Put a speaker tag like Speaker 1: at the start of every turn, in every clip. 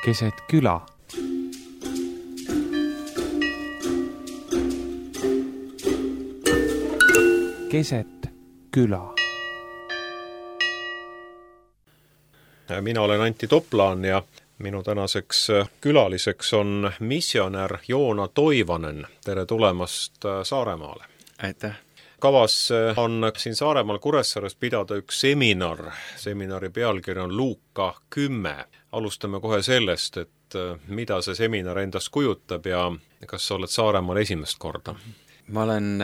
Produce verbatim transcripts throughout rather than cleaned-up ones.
Speaker 1: keset küla. Keset küla.
Speaker 2: Mina olen Antti Toplaan ja minu tänaseks külaliseks on missionär Joona Toivanen. Tere tulemast Saaremaale.
Speaker 3: Aitäh.
Speaker 2: Kavas on siin Saaremaal Kuressaares pidada üks seminar. Seminari pealkiri on Luuka kümme. Alustame kohe sellest, et mida see seminar endast kujutab ja kas sa oled Saaremaal esimest korda?
Speaker 3: Ma olen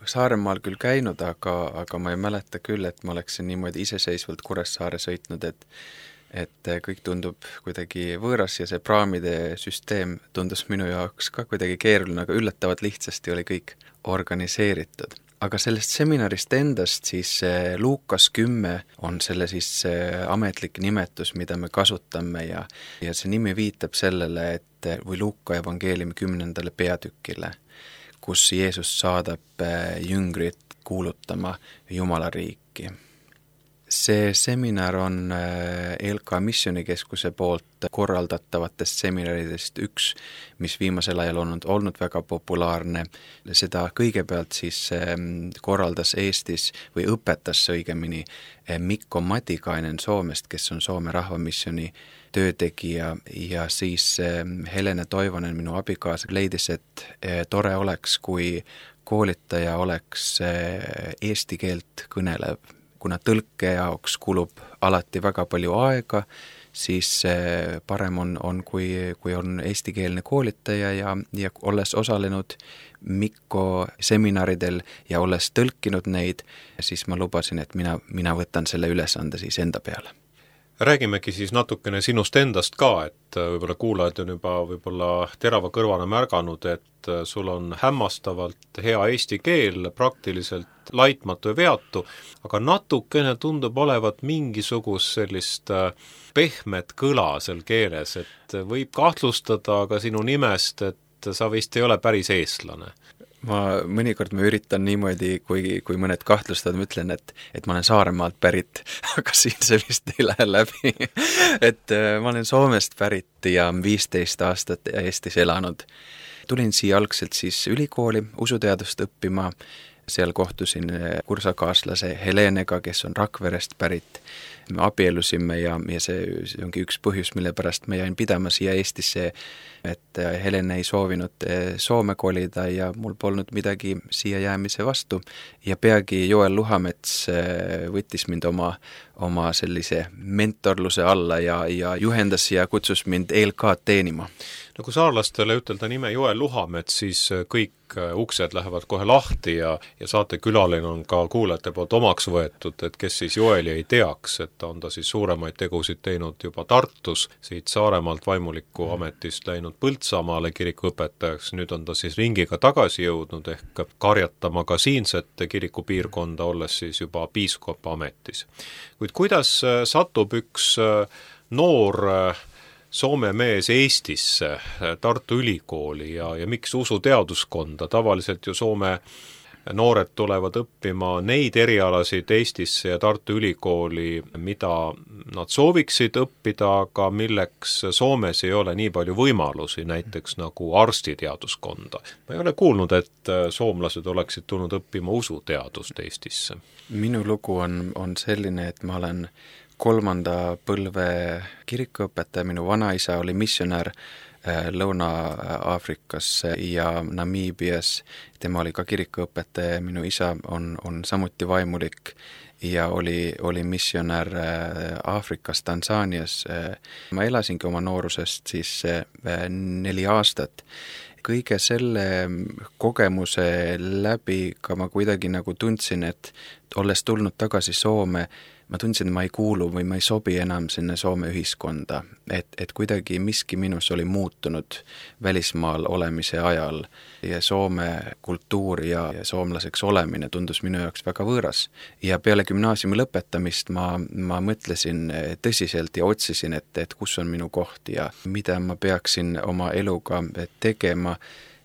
Speaker 3: Saaremaal küll käinud, aga, aga ma ei mäleta küll, et ma oleksin niimoodi iseseisvalt Kuressaare sõitnud, et, et kõik tundub kuidagi võõras ja see praamide süsteem tundus minu jaoks ka kuidagi keeruline, aga üllatavalt lihtsasti oli kõik organiseeritud. Aga sellest seminarist endast siis Luukas kümme on selle siis ametlik nimetus, mida me kasutame ja, ja see nimi viitab sellele, et või Luuka evangeeliumi kümnendale peatükile, kus Jeesus saadab jüngrit kuulutama Jumala riiki. See seminar on E L K Missioonikeskuse poolt korraldatavatest seminaridest üks, mis viimasel ajal on olnud väga populaarne. Seda kõigepealt siis korraldas Eestis või õpetas õigemini Mikko Matikainen Soomest, kes on Soome rahvamissiooni töötegija ja siis Helene Toivonen, minu abikaasa, leidis, et tore oleks, kui koolitaja oleks eesti keelt kõnelev. Kuna tõlke jaoks kulub alati väga palju aega, siis parem on, on kui, kui on eestikeelne koolitaja ja, ja olles osalenud Mikko seminaridel ja olles tõlkinud neid, siis ma lubasin, et mina, mina võtan selle ülesande siis enda peale.
Speaker 2: Räägimegi siis natukene sinust endast ka, et võib-olla kuulajad on juba võib-olla terava kõrvana märganud, et sul on hämmastavalt hea eesti keel, praktiliselt laitmatu ja veatu, aga natukene tundub olevat mingisugust sellist pehmet kõla seal keeles, et võib kahtlustada ka sinu nimest, et sa vist ei ole päris eestlane.
Speaker 3: Ma mõnikord ma üritan niimoodi, kui, kui mõned kahtlustavad, ma ütlen, et, et ma olen Saaremaalt pärit, aga siin see vist ei lähe läbi. et ma olen Soomest pärit ja viisteist aastat Eestis elanud. Tulin siia algselt siis ülikooli usuteadust õppima, seal kohtusin kursakaaslase Helenega, kes on Rakverest pärit. Me abielusime ja, ja see, see ongi üks põhjus, mille pärast ma jäin pidama siia Eestisse, et Helene ei soovinud Soome kolida ja mul polnud midagi siia jäämise vastu. Ja peagi Joel Luhamets võttis mind oma, oma sellise mentorluse alla ja, ja juhendas ja kutsus mind E L K teenima.
Speaker 2: No kui saarlastele ütelda nime Joel Luhamets, siis kõik uksed lähevad kohe lahti ja, ja saatekülaline on ka kuulajate poolt omaks võetud, et kes siis Joeli ei teaks, et on ta siis suuremaid tegusid teinud juba Tartus, siit Saaremaalt vaimuliku ametist läinud Põltsamaale kirikuõpetajaks, nüüd on ta siis ringiga tagasi jõudnud ehk karjatama ka siinset kirikupiirkonda, olles siis juba piiskopa ametis. Kuid kuidas satub üks noor Soome mees Eestisse, Tartu Ülikooli ja, ja miks usuteaduskonda? Tavaliselt ju Soome noored tulevad õppima neid erialasid Eestisse ja Tartu Ülikooli, mida nad sooviksid õppida, aga milleks Soomes ei ole nii palju võimalusi, näiteks nagu arstiteaduskonda. Ma ei ole kuulnud, et soomlased oleksid tulnud õppima usuteadust Eestisse.
Speaker 3: Minu lugu on, on selline, et ma olen kolmanda põlve kirikuõpetaja, minu vanaisa oli missionär Lõuna-Aafrikas ja Namiibias. Tema oli ka kirikuõpetaja, minu isa on, on samuti vaimulik ja oli, oli missionär Aafrikas, Tansaanias. Ma elasingi oma noorusest siis neli aastat. Kõige selle kogemuse läbi ka ma kuidagi nagu tundsin, et olles tulnud tagasi Soome, ma tundsin, et ma ei kuulu või ma ei sobi enam sinna Soome ühiskonda, et, et kuidagi miski minus oli muutunud välismaal olemise ajal ja Soome kultuur ja, ja soomlaseks olemine tundus minu jaoks väga võõras. Ja peale gümnaasiumi lõpetamist ma, ma mõtlesin tõsiselt ja otsisin, et, et kus on minu koht ja mida ma peaksin oma eluga tegema.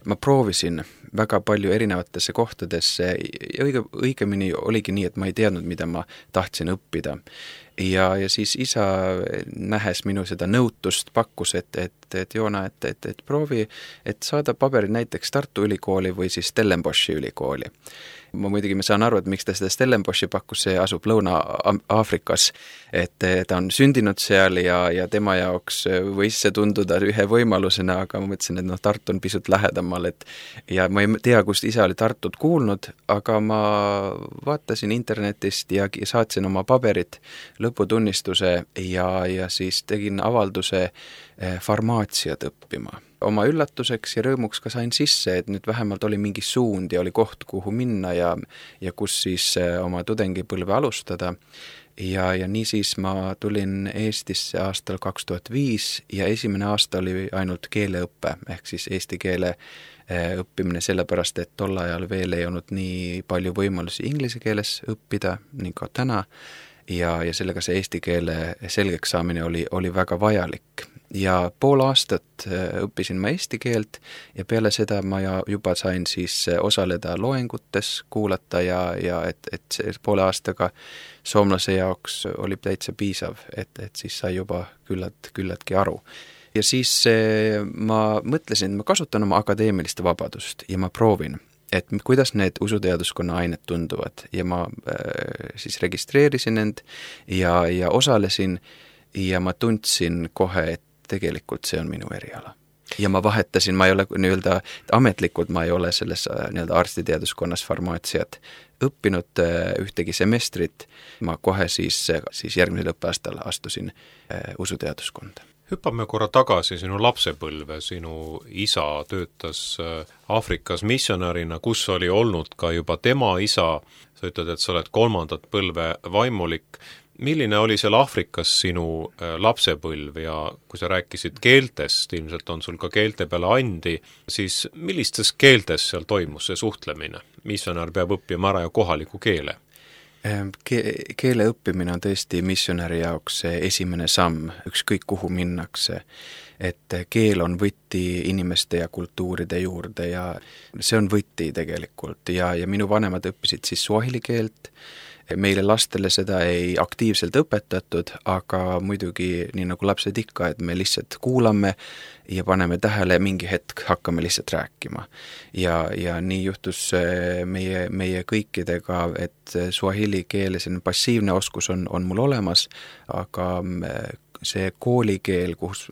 Speaker 3: Ma proovisin väga palju erinevatesse kohtadesse ja õige, õigemini oligi nii, et ma ei teadnud, mida ma tahtsin õppida. ja, ja siis isa, nähes minu seda nõutust, pakkus, et, et, et Joona, et, et, et proovi, et saada paberid näiteks Tartu Ülikooli või siis Stellenboshi ülikooli. Ma muidugi ma saan aru, et miks ta seda Stellenboshi pakkus, see asub Lõuna-Aafrikas, et ta on sündinud seal ja, ja tema jaoks võis see tunduda ühe võimalusena, aga ma mõtlesin, et noh, Tartu on pisut lähedamal, et ja ma ei tea, kust isa oli Tartut kuulnud, aga ma vaatasin internetist ja saatsin oma paberid, lõputunnistuse ja, ja siis tegin avalduse farmaatsiat õppima. Oma üllatuseks ja rõõmuks ka sain sisse, et nüüd vähemalt oli mingi suund ja oli koht, kuhu minna ja, ja kus siis oma tudengipõlve alustada. Ja, ja niisiis ma tulin Eestisse aastal kaks tuhat viis ja esimene aasta oli ainult keeleõppe, ehk siis eesti keele õppimine sellepärast, et tol ajal veel ei olnud nii palju võimalusi inglise keeles õppida, nii ka täna, ja, ja sellega see eesti keele selgeks saamine oli, oli väga vajalik. Ja pool aastat õppisin ma eesti keelt ja peale seda ma juba sain siis osaleda loengutes, kuulata ja, ja et, et see poole aastaga soomlase jaoks oli täitsa piisav, et, et siis sai juba küllalt, küllaltki aru. Ja siis ma mõtlesin, et ma kasutan oma akadeemilist vabadust ja ma proovin, et kuidas need usuteaduskonna ained tunduvad ja ma äh, siis registreerisin end ja, ja osalesin ja ma tundsin kohe, et tegelikult see on minu eriala. Ja ma vahetasin, ma ei ole nii-öelda ametlikult, ma ei ole selles nii-öelda arstiteaduskonnas farmaatsiat õppinud ühtegi semestrit, ma kohe siis, siis järgmisel õppeaastal astusin usuteaduskonda.
Speaker 2: Hüppame korra tagasi sinu lapsepõlve, sinu isa töötas Aafrikas missionärina, kus oli olnud ka juba tema isa, sa ütled, et sa oled kolmandat põlve vaimulik. Milline oli seal Aafrikas sinu lapsepõlv ja kui sa rääkisid keeltest, ilmselt on sul ka keelte peale andi, siis millistes keeltes seal toimus see suhtlemine? Missionär peab õppima ära ja kohaliku keele.
Speaker 3: Ke- keele õppimine on tõesti missionäri jaoks esimene samm, ükskõik kuhu minnakse, et keel on võti inimeste ja kultuuride juurde ja see on võti tegelikult ja, ja minu vanemad õppisid siis suahili keelt. Meile lastele seda ei aktiivselt õpetatud, aga muidugi nii nagu lapsed ikka, et me lihtsalt kuulame ja paneme tähele, mingi hetk hakkame lihtsalt rääkima. Ja, ja nii juhtus meie, meie kõikidega, et suahili keele selline passiivne oskus on, on mul olemas, aga see koolikeel, kus,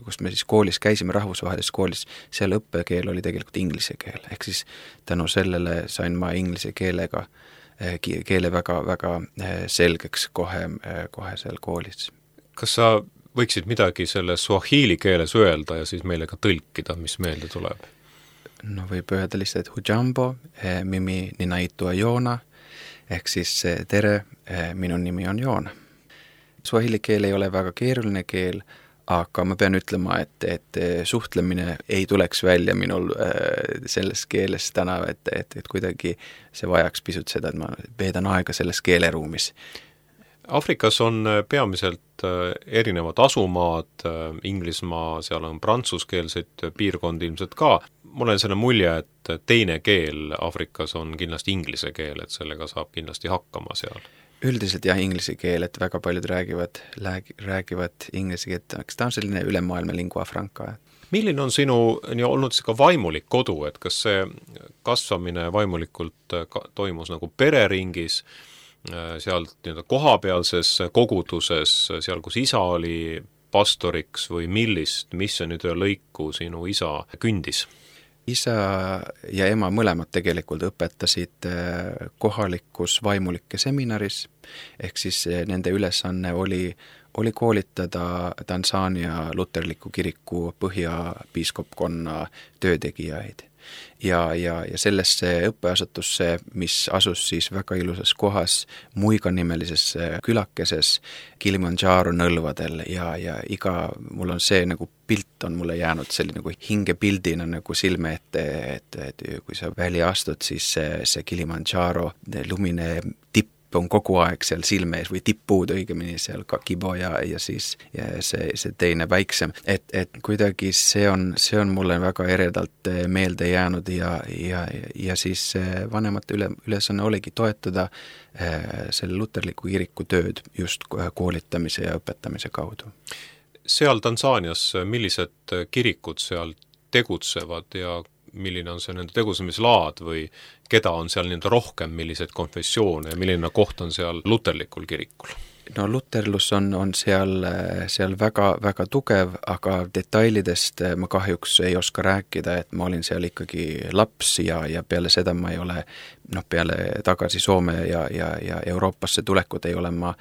Speaker 3: kus me siis koolis käisime, rahvusvahelises koolis, seal õppekeel oli tegelikult inglise keel. Ehk siis tänu sellele sain ma inglise keelega keele väga, väga selgeks kohe, kohe seal koolis.
Speaker 2: Kas sa võiksid midagi selle suahili keeles öelda ja siis meile ka tõlkida, mis meelde tuleb?
Speaker 3: No võib öelda lihtsalt hujambo, mimi ninaitua Joona, ehk siis tere, minu nimi on Joona. Suahili keel ei ole väga keeruline keel, aga ma pean ütlema, et, et suhtlemine ei tuleks välja minul selles keeles täna, et, et, et kuidagi see vajaks pisut seda, et ma veedan aega selles keeleruumis.
Speaker 2: Aafrikas on peamiselt erinevad asumaad, Inglismaa, seal on prantsuskeelseid piirkondi ilmselt ka. Mul on selle mulje, et teine keel Aafrikas on kindlasti inglise keel, et sellega saab kindlasti hakkama seal.
Speaker 3: Üldiselt jah, inglise keel, et väga paljud räägivad, räägivad inglise keelt, eks ta on selline ülemaailma lingua franca.
Speaker 2: Milline on sinu nii olnud ka vaimulik kodu, et kas see kasvamine vaimulikult toimus nagu pereringis, seal nii-öelda kohapealses koguduses, seal kus isa oli pastoriks või millist missioonitöö lõiku sinu isa kündis?
Speaker 3: Isa ja ema mõlemad tegelikult õpetasid kohalikus vaimulike seminaris, ehk siis nende ülesanne oli, oli koolitada Tansaania luterliku kiriku põhjapiiskopkonna töötegijaid. Ja, ja, ja sellesse õppeasutusse, mis asus siis väga ilusas kohas Muiga-nimelises külakeses Kilimanjaro nõlvadel ja, ja iga, mul on see nagu pilt on mulle jäänud selline nagu hingepildina nagu silme ette, et, et kui sa välja astud, siis see, see Kilimanjaro lumine tipp on kogu aeg seal silme ees või tipppuud õigemini seal ka kibo ja, ja siis ja see, see teine väiksem. Et, et kuidagi see on, see on mulle väga eredalt meelde jäänud ja, ja, ja siis vanemate üle, ülesanne oligi toetada selle luterliku kiriku tööd just koolitamise ja õpetamise kaudu.
Speaker 2: Seal Tansaanias, millised kirikud seal tegutsevad ja milline on see nende tegutsemislaad või keda on seal nii-öelda rohkem, milliseid konfessioone ja milline koht on seal luterlikul kirikul?
Speaker 3: No luterlus on, on seal, seal väga, väga tugev, aga detailidest ma kahjuks ei oska rääkida, et ma olin seal ikkagi laps ja, ja peale seda ma ei ole, noh peale tagasi Soome ja, ja, ja Euroopasse tulekut ei ole ma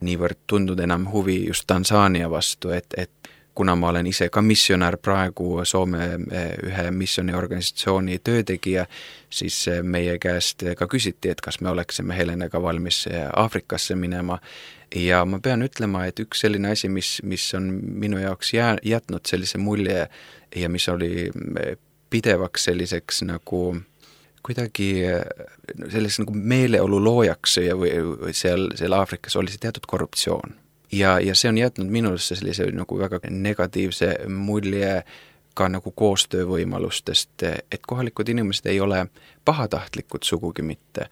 Speaker 3: niivõrd tundnud enam huvi just Tansaania vastu, et, et kuna ma olen ise ka missionär praegu Soome ühe missioniorganisatsiooni töötegija, siis meie käest ka küsiti, et kas me oleksime Helenega valmis Aafrikasse minema. Ja ma pean ütlema, et üks selline asi, mis, mis on minu jaoks jää, jätnud sellise mulje ja mis oli pidevaks selliseks nagu kuidagi selliseks nagu meeleolu loojaks ja või, või seal, seal Aafrikas oli see teatud korruptsioon. Ja, ja see on jätnud minusse sellise nagu väga negatiivse mulje ka nagu koostöövõimalustest, et kohalikud inimesed ei ole pahatahtlikud sugugi mitte,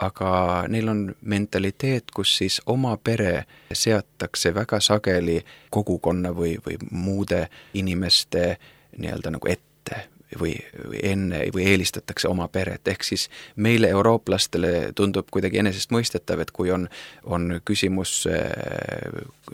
Speaker 3: aga neil on mentaliteet, kus siis oma pere seatakse väga sageli kogukonna või, või muude inimeste nii-öelda nagu ette või, või enne või eelistatakse oma peret, ehk siis meile eurooplastele tundub kuidagi enesestmõistetav, et kui on, on küsimus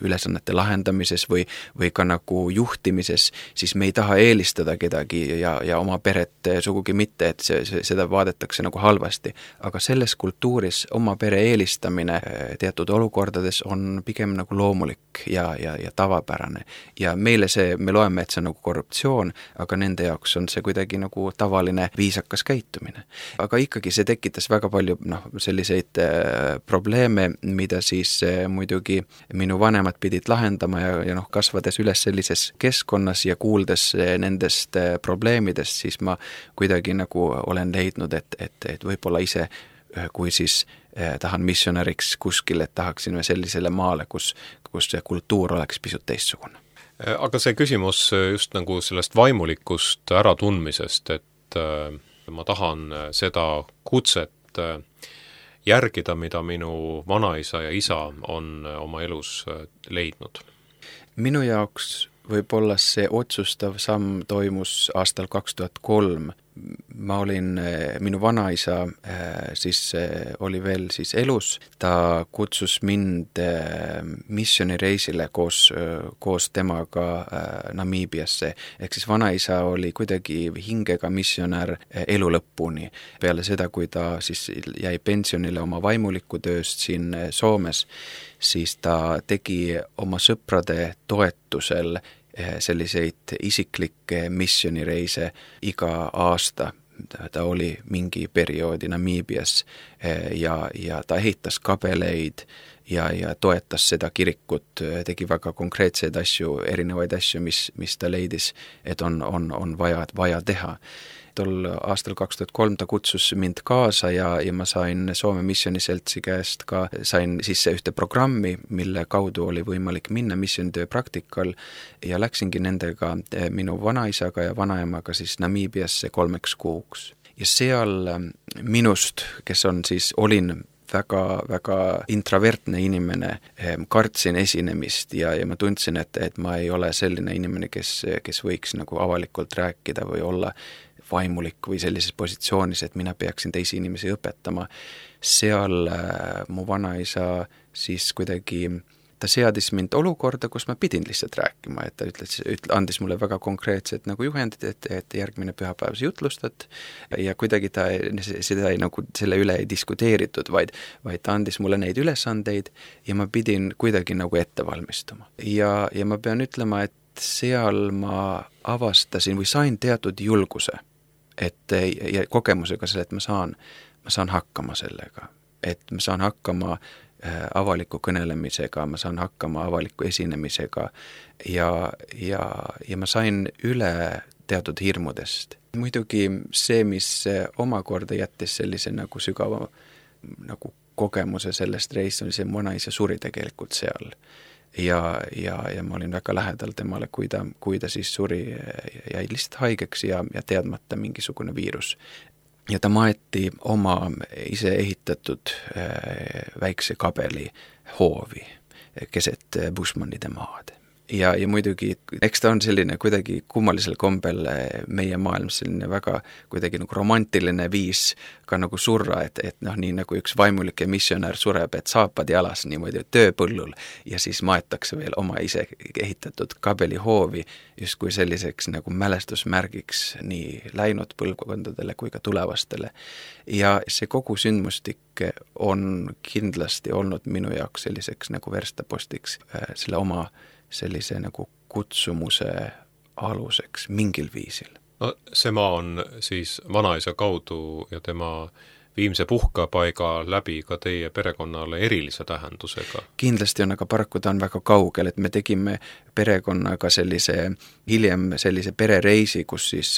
Speaker 3: ülesannete lahendamises või, või ka nagu juhtimises, siis me ei taha eelistada kedagi ja, ja oma peret sugugi mitte, et see, see, seda vaadatakse nagu halvasti. Aga selles kultuuris oma pere eelistamine teatud olukordades on pigem nagu loomulik ja, ja, ja tavapärane. Ja meile see, me loeme, et see on nagu korruptsioon, aga nende jaoks on see kuidagi nagu tavaline viisakas käitumine. Aga ikkagi see tekitas väga palju noh, selliseid äh, probleeme, mida siis äh, muidugi minu vanemad pidid lahendama ja, ja noh, kasvades üles sellises keskkonnas ja kuuldes äh, nendest äh, probleemidest, siis ma kuidagi nagu olen leidnud, et, et, et võib-olla ise äh, kui siis äh, tahan missionäriks kuskil, et tahaksime sellisele maale, kus, kus see kultuur oleks pisut teistsugune.
Speaker 2: Aga see küsimus just nagu sellest vaimulikust äratundmisest, et ma tahan seda kutset järgida, mida minu vanaisa ja isa on oma elus leidnud.
Speaker 3: Minu jaoks võib-olla see otsustav samm toimus aastal kaks tuhat kolm. Ma olin, minu vanaisa siis oli veel siis elus, ta kutsus mind missionireisile koos, koos temaga Namiibiasse, ehk siis vanaisa oli kuidagi hingega missionär elu lõpuni. Peale seda, kui ta siis jäi pensionile oma vaimuliku tööst siin Soomes, siis ta tegi oma sõprade toetusel selliseid isiklikke missionireise iga aasta. Ta oli mingi perioodi Namiibias ja, ja ta ehitas kabeleid ja, ja toetas seda kirikut, tegi väga konkreetseid asju, erinevaid asju, mis, mis ta leidis, et on, on, on vaja, vaja teha. Tol aastal kaks tuhat kolm ta kutsus mind kaasa ja, ja ma sain Soome missioniseltsi käest ka, sain sisse ühte programmi, mille kaudu oli võimalik minna missionitöö praktikal ja läksingi nendega minu vanaisaga ja vanaemaga siis Namiibiasse kolmeks kuuks. Ja seal minust, kes on siis, olin väga, väga introvertne inimene, kartsin esinemist ja, ja ma tundsin, et, et ma ei ole selline inimene, kes, kes võiks nagu avalikult rääkida või olla vaimulik või sellises positsioonis, et mina peaksin teisi inimesi õpetama. Seal äh, mu vanaisa siis kuidagi, ta seadis mind olukorda, kus ma pidin lihtsalt rääkima, et ta ütles, ütle, andis mulle väga konkreetset nagu juhendid, et, et järgmine pühapäev sa jutlustad ja kuidagi ta, seda ei, nagu, selle üle ei diskuteeritud, vaid, vaid ta andis mulle neid ülesandeid ja ma pidin kuidagi nagu ette valmistuma. Ja, ja ma pean ütlema, et seal ma avastasin või sain teatud julguse, et ja kogemusega selle, et ma saan, ma saan hakkama sellega, et ma saan hakkama avaliku kõnelemisega, ma saan hakkama avaliku esinemisega ja, ja, ja ma sain üle teatud hirmudest. Muidugi see, mis omakorda jättis sellise nagu sügava nagu kogemuse sellest reis oli see, mu vanaisa suri tegelikult seal. Ja, ja, ja ma olin väga lähedal temale, kui ta, kui ta siis suri, jäi lihtsalt haigeks ja, ja teadmata mingisugune viirus. Ja ta maeti oma ise ehitatud väikse kabeli hoovi keset Bushmanide maad. Ja, ja muidugi, eks ta on selline kuidagi kummalisel kombel meie maailmas selline väga kuidagi nagu romantiline viis ka nagu surra, et, et noh, nii nagu üks vaimulik ja missionär sureb, et saapad jalas niimoodi tööpõllul ja siis maetakse veel oma ise ehitatud kabelihoovi justkui selliseks nagu mälestusmärgiks nii läinud põlvkondadele kui ka tulevastele. Ja see kogu sündmustik on kindlasti olnud minu jaoks selliseks nagu verstapostiks selle oma sellise nagu kutsumuse aluseks mingil viisil.
Speaker 2: No see maa on siis vanaisa kaudu ja tema viimse puhkapaiga läbi ka teie perekonnale erilise tähendusega.
Speaker 3: Kindlasti on, aga paraku ta on väga kaugel, et me tegime perekonnaga sellise, hiljem sellise perereisi, kus siis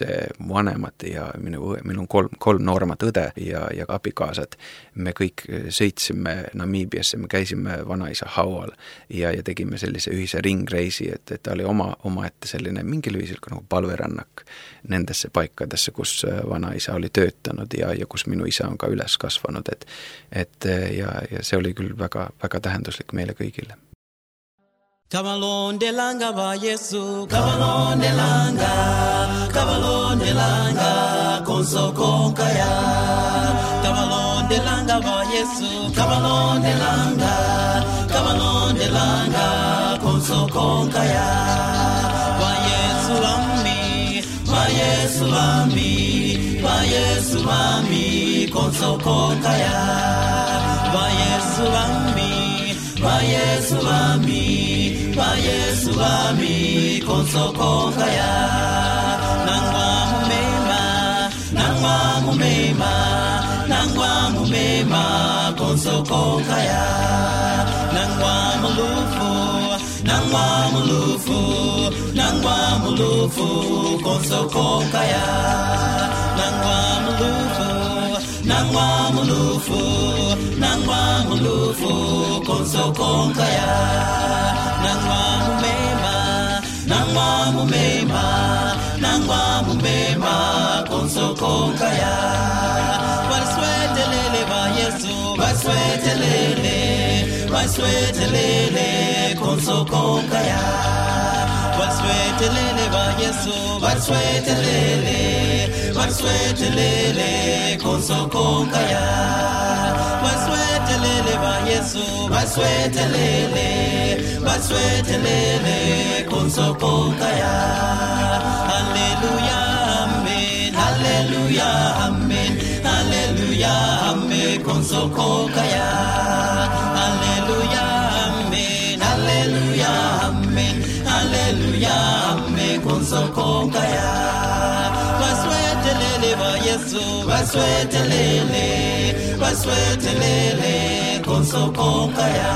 Speaker 3: vanemad ja minu, minu kolm, kolm nooremat õde ja, ja abikaasad, me kõik sõitsime Namiibiasse, me käisime vanaisa haual ja, ja tegime sellise ühise ringreisi, et, et ta oli oma, oma ette selline mingil viisil ka nagu palverannak nendesse paikadesse, kus vanaisa oli töötanud ja, ja kus minu isa on ka üles kasvanud, et, et ja, ja see oli küll väga, väga tähenduslik meile kõigile.
Speaker 4: Kavalon de langa va Yesu, kavalon de langa, kavalon de langa, konso konkaya. Kavalon de langa va Yesu, kavalon de langa, kavalon de langa, konso konkaya. Va Yesu lami, va Yesu lami, va Yesu lami, konso konkaya. Va Yesu lami, va Yesu lami, va Yesu lami, konso konkaya. Nangwa mumema, nangwa mumema, nangwa mumema, konso konkaya. Nangwa mulufu, nangwa mulufu, nangwa mulufu, konso konkaya. Nangwa mulufu, nangwa mulufu, nangwa mulufu, konso konkaya. Nangwa mumema, nangwa mumema, nangwa mumema, konso konkaya. Baswetelele va Yesu, baswetelele, baswetelele, konso konkaya. Baswetelele va Yesu, baswetelele, baswetelele, konso konkaya. Baswetelele va Yesu, baswetelele, baswetelele, konso konkaya. Alleluia, amen, alleluia, amen, alleluia, amen, konso konkaya. Alleluia, amen, alleluia, amen, alleluia, amen, konso konkaya. Baswetelele va Yesu, baswetelele, baswetelele, konso konkaya.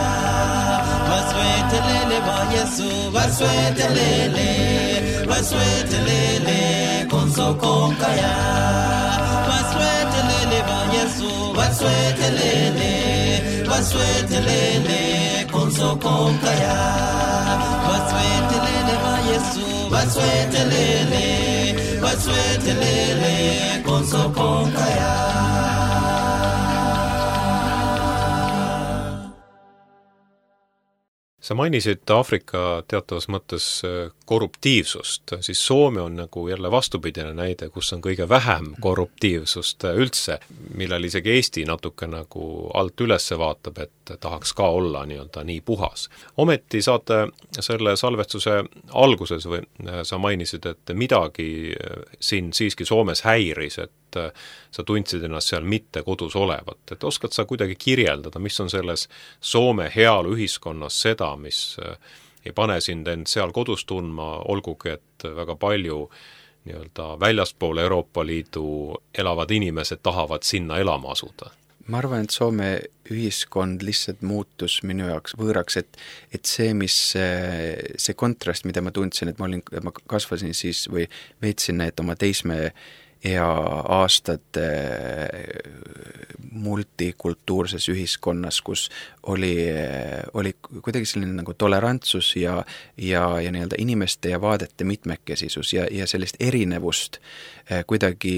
Speaker 4: Baswetelele va Yesu, baswetelele, baswetelele, konso konkaya. Baswetelele va Yesu, baswetelele, baswetelele, konso konkaya. Baswetelele va Yesu, baswetelele, baswetelele, konso konkaya.
Speaker 2: Sa mainisid Aafrika teatavas mõttes korruptiivsust, siis Soome on nagu jälle vastupidine näide, kus on kõige vähem korruptiivsust üldse, millel isegi Eesti natuke nagu alt ülesse vaatab, et tahaks ka olla nii-öelda nii puhas. Ometi saate selle salvestuse alguses või sa mainisid, et midagi siin siiski Soomes häiris, et sa tundsid ennast seal mitte kodus olevat. Et oskad sa kuidagi kirjeldada, mis on selles Soome heaolu ühiskonnas seda, mis ei pane sind end seal kodus tundma, olgugi, et väga palju nii-öelda väljaspool Euroopa Liidu elavad inimesed tahavad sinna elama asuda?
Speaker 3: Ma arvan, et Soome ühiskond lihtsalt muutus minu jaoks võõraks, et, et see, mis see kontrast, mida ma tundsin, et ma, olin, ma kasvasin siis või veetsin need oma teisme ja aastad multikultuurses ühiskonnas, kus oli, oli kuidagi selline nagu tolerantsus ja, ja, ja nii-öelda inimeste ja vaadete mitmekesisus ja, ja sellist erinevust kuidagi,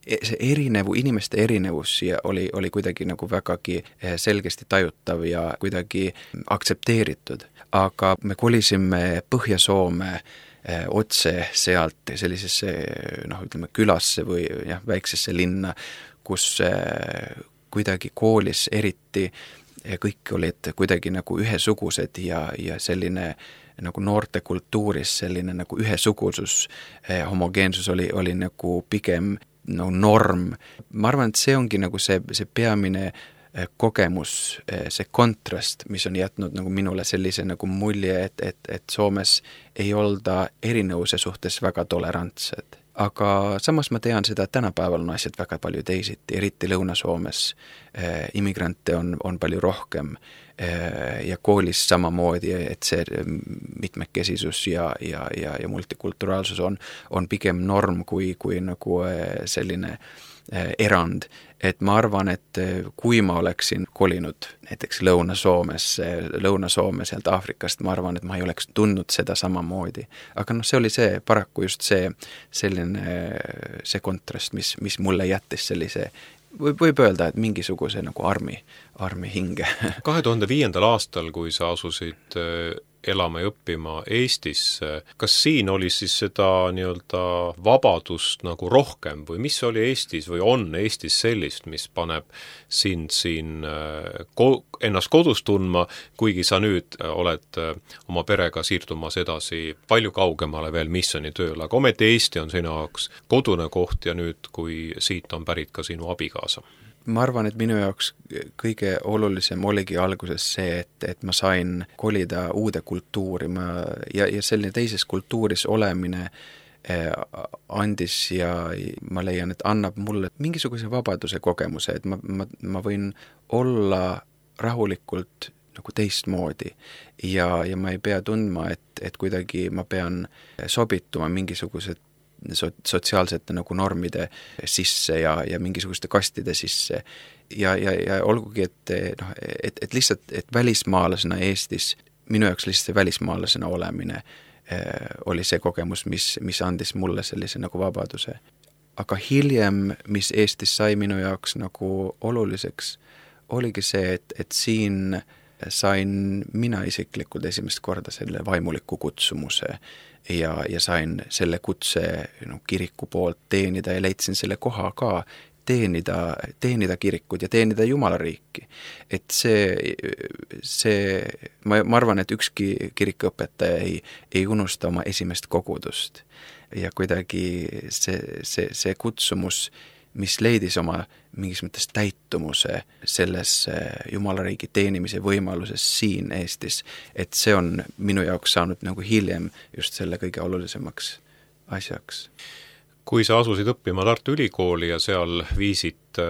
Speaker 3: see erinevu, inimeste erinevus ja oli, oli kuidagi nagu vägagi selgesti tajutav ja kuidagi aktsepteeritud. Aga me kolisime Põhja-Soome otse sealt sellisesse, noh, ütleme külasse või jah, väiksesse linna, kus kuidagi koolis eriti kõik olid kuidagi nagu ühesugused ja, ja selline nagu noorte kultuuris selline nagu ühesugusus, homogeensus oli, oli nagu pigem no, norm. Ma arvan, et see ongi nagu see, see peamine kogemus, see kontrast, mis on jätnud nagu minule sellise nagu mulje, et, et, et Soomes ei olda erinevuse suhtes väga tolerantsed. Aga samas ma tean seda, et tänapäeval on asjad väga palju teisiti, eriti Lõuna-Soomes eh, immigrante on, on palju rohkem eh, ja koolis samamoodi, et see mitmekesisus ja, ja, ja, ja multikulturaalsus on, on pigem norm kui, kui nagu eh, selline eh, erand. Et ma arvan, et kui ma oleksin kolinud näiteks Lõuna-Soomes, Lõuna-Soome sealt Aafrikast, ma arvan, et ma ei oleks tundnud seda samamoodi. Aga noh, see oli see, paraku just see, selline, see kontrast, mis, mis mulle jättis sellise, võib, võib öelda, et mingisuguse nagu armi, armi hinge.
Speaker 2: kahe tuhande viiendal aastal, kui sa asusid elama ja õppima Eestis, kas siin oli siis seda nii-öelda vabadust nagu rohkem või mis oli Eestis või on Eestis sellist, mis paneb sind siin ko- ennast kodus tundma, kuigi sa nüüd oled oma perega siirdumas edasi palju kaugemale veel missioni tööle, aga ometi Eesti on sinu jaoks kodune koht ja nüüd, kui siit on pärit ka sinu abikaasa?
Speaker 3: Ma arvan, et minu jaoks kõige olulisem oligi alguses see, et, et ma sain kolida uude kultuuri ma, ja, ja selline teises kultuuris olemine eh, andis ja ma leian, et annab mulle mingisuguse vabaduse kogemuse, et ma, ma, ma võin olla rahulikult nagu teistmoodi ja, ja ma ei pea tundma, et, et kuidagi ma pean sobituma mingisugused so, sotsiaalsete nagu normide sisse ja, ja mingisuguste kastide sisse ja, ja, ja olgugi, et, noh, et, et lihtsalt, et välismaalasena Eestis, minu jaoks lihtsalt välismaalasena olemine eh, oli see kogemus, mis, mis andis mulle sellise nagu vabaduse. Aga hiljem, mis Eestis sai minu jaoks nagu oluliseks, oligi see, et, et siin sain mina isiklikult esimest korda selle vaimuliku kutsumuse ja, ja sain selle kutse no, kiriku poolt teenida ja leidsin selle koha ka teenida, teenida kirikut ja teenida Jumalariiki. Et see, see ma, ma arvan, et ükski kirikuõpetaja ei, ei unusta oma esimest kogudust ja kuidagi see, see, see kutsumus, mis leidis oma mingis mõttes täitumuse selles Jumalariigi teenimise võimaluses siin Eestis, et see on minu jaoks saanud nagu hiljem just selle kõige olulisemaks asjaks.
Speaker 2: Kui sa asusid õppima Tartu Ülikooli ja seal viisid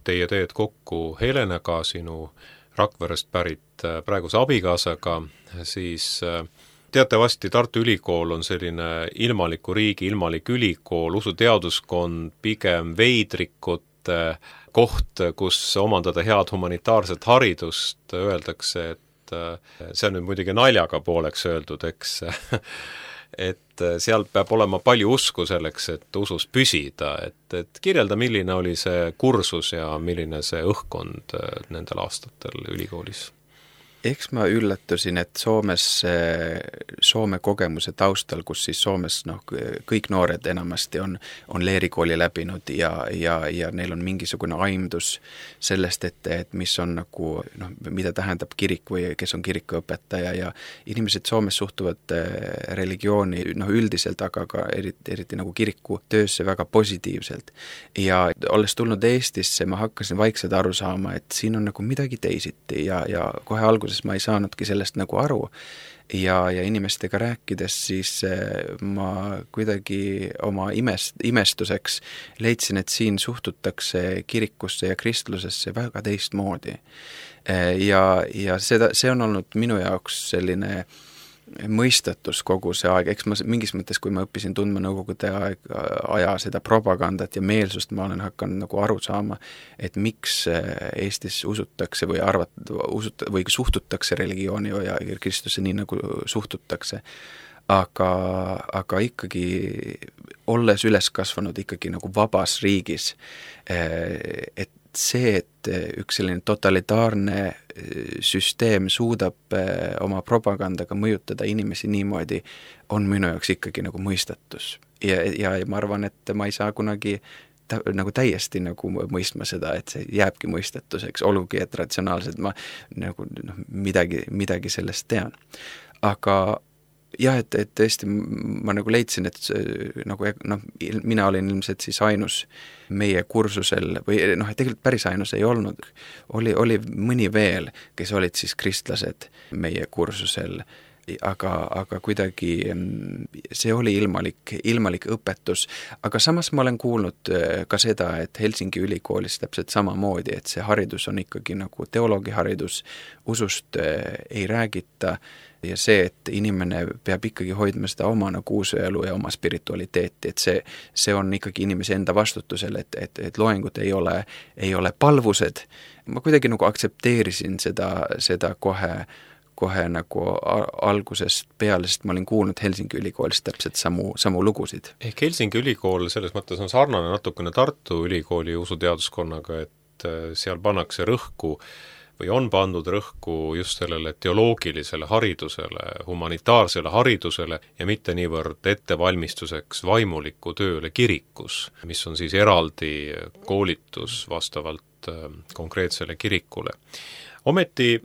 Speaker 2: teie teed kokku Helenaga, sinu Rakverest pärit praeguse abikaasaga, siis teatavasti Tartu Ülikool on selline ilmaliku riigi, ilmalik ülikool, usuteaduskond, pigem veidrikute koht, kus omandada head humanitaarset haridust, öeldakse, et see on nüüd muidugi naljaga pooleks öeldud, eks, et seal peab olema palju usku selleks, et usus püsida, et, et kirjelda, milline oli see kursus ja milline see õhkkond nendel aastatel ülikoolis?
Speaker 3: Eks ma üllatusin, et Soomes, Soome kogemuse taustal, kus siis Soomes noh, kõik noored enamasti on, on leerikooli läbinud ja, ja, ja neil on mingisugune aimdus sellest, et, et mis on nagu, noh, mida tähendab kirik või kes on kirikuõpetaja ja inimesed Soomes suhtuvad religiooni noh, üldiselt, aga ka eriti, eriti nagu kiriku töösse väga positiivselt. Ja olles tulnud Eestisse, ma hakkasin vaikselt aru saama, et siin on nagu midagi teisiti ja, ja kohe alguses ma ei saanudki sellest nagu aru ja, ja inimestega rääkides siis ma kuidagi oma imest, imestuseks leidsin, et siin suhtutakse kirikusse ja kristlusesse väga teistmoodi. Ja, ja seda, see on olnud minu jaoks selline mõistatus kogu see aeg, eks ma mingis mõttes, kui ma õppisin tundma Nõukogude aeg, aja seda propagandat ja meelsust, ma olen hakanud nagu aru saama, et miks Eestis usutakse või arvat-, usut- või suhtutakse religiooni ja Kristusse nii, nagu suhtutakse. Aga, aga ikkagi olles üles kasvanud ikkagi nagu vabas riigis, et see, et üks selline totalitaarne süsteem suudab oma propagandaga mõjutada inimesi niimoodi, on minu jaoks ikkagi nagu mõistatus. Ja, ja ma arvan, et ma ei saa kunagi ta, nagu täiesti nagu mõistma seda, et see jääbki mõistatuseks, olgugi, et ratsionaalselt ma nagu noh, midagi, midagi sellest tean. Aga jah, et, et tõesti ma nagu leidsin, et nagu noh, mina olin ilmselt siis ainus meie kursusel või noh, tegelikult päris ainus ei olnud, oli, oli mõni veel, kes olid siis kristlased meie kursusel, aga, aga kuidagi see oli ilmalik, ilmalik õpetus, aga samas ma olen kuulnud ka seda, et Helsingi ülikoolis täpselt samamoodi, et see haridus on ikkagi nagu teoloogiharidus, usust ei räägita, ja see, et inimene peab ikkagi hoidma seda oma nagu usuelu ja oma spiritualiteeti, et see, see on ikkagi inimese enda vastutusel, et, et, et loengud ei ole, ei ole palvused. Ma kuidagi nagu aktsepteerisin seda, seda kohe, kohe nagu algusest peale, sest ma olin kuulnud Helsingi ülikoolis täpselt samu, samu lugusid.
Speaker 2: Ehk Helsingi ülikool selles mõttes on sarnane natukene Tartu ülikooli usuteaduskonnaga, et seal pannakse rõhku või on pandud rõhku just sellele teoloogilisele haridusele, humanitaarsele haridusele ja mitte niivõrd ettevalmistuseks vaimuliku tööle kirikus, mis on siis eraldi koolitus vastavalt konkreetsele kirikule. Ometi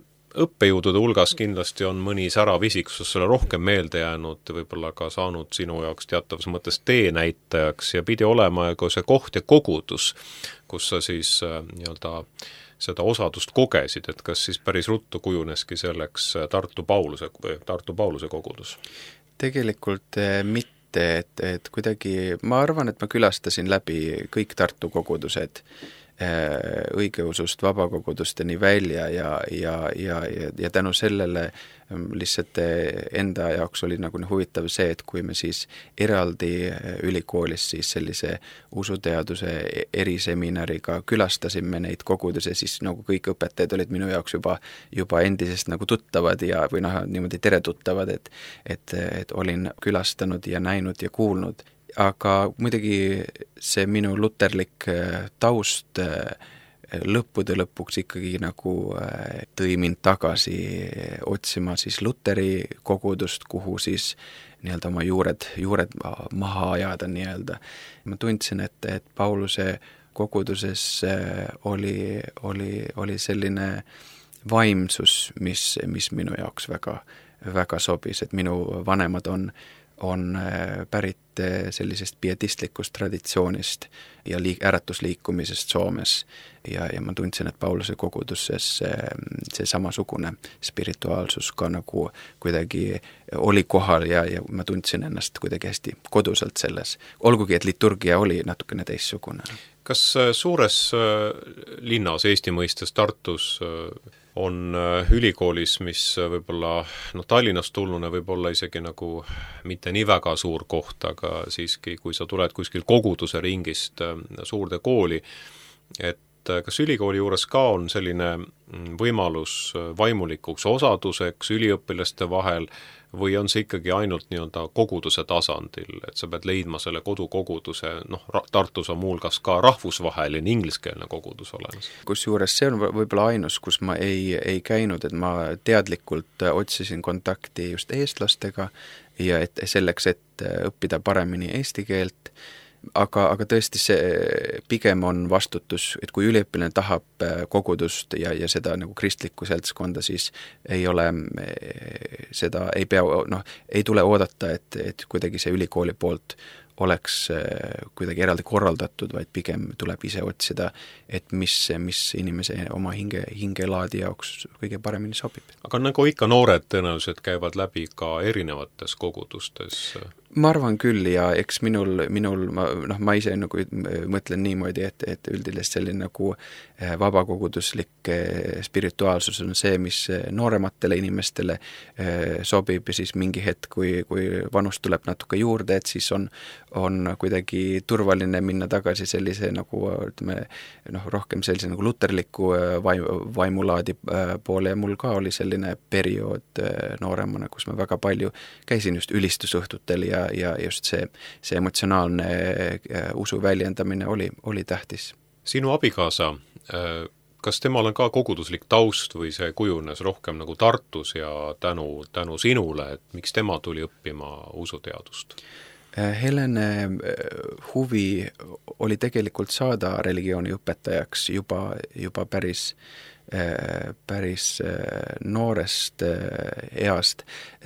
Speaker 2: õppejõudude hulgas kindlasti on mõni särav isik, kus sulle rohkem meelde jäänud, võib-olla ka saanud sinu jaoks teatavas mõttes teenäitajaks ja pidi olema ka see koht ja kogudus, kus sa siis nii-öelda seda osadust kogesid, et kas siis päris ruttu kujuneski selleks Tartu Pauluse või Tartu Pauluse kogudus?
Speaker 3: Tegelikult mitte, et, et kuidagi, ma arvan, et ma külastasin läbi kõik Tartu kogudused, õigeusust vabakogudusteni välja ja, ja, ja, ja, ja tänu sellele lihtsalt enda jaoks oli nagu huvitav see, et kui me siis eraldi ülikoolis siis sellise usuteaduse eriseminariga külastasime neid koguduse, siis nagu kõik õpetajad olid minu jaoks juba, juba endisest nagu tuttavad ja, või noh, niimoodi teretuttavad, et, et, et olin külastanud ja näinud ja kuulnud. Aga muidugi see minu luterlik taust lõppude lõpuks ikkagi nagu tõi mind tagasi otsima siis luteri kogudust, kuhu siis nii-öelda oma juured, juured maha ajada nii-öelda. Ma tundsin, et, et Pauluse koguduses oli, oli, oli selline vaimsus, mis, mis minu jaoks väga, väga sobis, et minu vanemad on on pärit sellisest pietistlikust traditsioonist ja liik, äratusliikumisest Soomes ja, ja ma tundsin, et Pauluse koguduses see, see samasugune spirituaalsus ka nagu kuidagi oli kohal ja, ja ma tundsin ennast kuidagi hästi koduselt selles, olgugi et liturgia oli natukene teissugune.
Speaker 2: Kas suures linnas Eesti mõistes Tartus on ülikoolis, mis võib-olla no, Tallinnast tulnuna võib-olla isegi nagu mitte nii väga suur koht, aga siiski, kui sa tuled kuskil koguduse ringist suurde kooli, et kas ülikooli juures ka on selline võimalus vaimulikuks osaduseks üliõpilaste vahel või on see ikkagi ainult nii-öelda koguduse tasandil, et sa pead leidma selle kodukoguduse, noh, Tartus on muulgas ka rahvusvaheline ingliskeelne kogudus olemas.
Speaker 3: Kusjuures see on võib-olla ainus, kus ma ei, ei käinud, et ma teadlikult otsisin kontakti just eestlastega ja et selleks, et õppida paremini eesti keelt, aga, aga tõesti see pigem on vastutus, et kui üliõpilane tahab kogudust ja, ja seda nagu kristlikku seltskonda, siis ei ole seda, ei pea, noh, ei tule oodata, et, et kuidagi see ülikooli poolt oleks kuidagi eraldi korraldatud, vaid pigem tuleb ise otsida, et mis, mis inimese oma hinge, hingelaadi jaoks kõige paremini sobib.
Speaker 2: Aga nagu ikka noored tõenäoliselt käivad läbi ka erinevates kogudustes?
Speaker 3: ma arvan küll ja eks minul, minul ma, noh, ma ise nagu mõtlen niimoodi, et, et üldilist selline nagu vabakoguduslik spirituaalsus on see, mis noorematele inimestele sobib ja siis mingi hetk, kui, kui vanus tuleb natuke juurde, et siis on, on kuidagi turvaline minna tagasi sellise nagu, ütleme, noh, rohkem sellise nagu luterliku vaim, vaimulaadi poole ja mul ka oli selline periood nooremana, kus ma väga palju käisin just ülistusõhtutel ja ja just see, see emotsionaalne usu väljendamine oli, oli tähtis.
Speaker 2: Sinu abikaasa, kas temal on ka koguduslik taust või see kujunes rohkem nagu Tartus ja tänu, tänu sinule, et miks tema tuli õppima usuteadust?
Speaker 3: Helene huvi oli tegelikult saada religiooni õpetajaks juba, juba päris päris noorest east.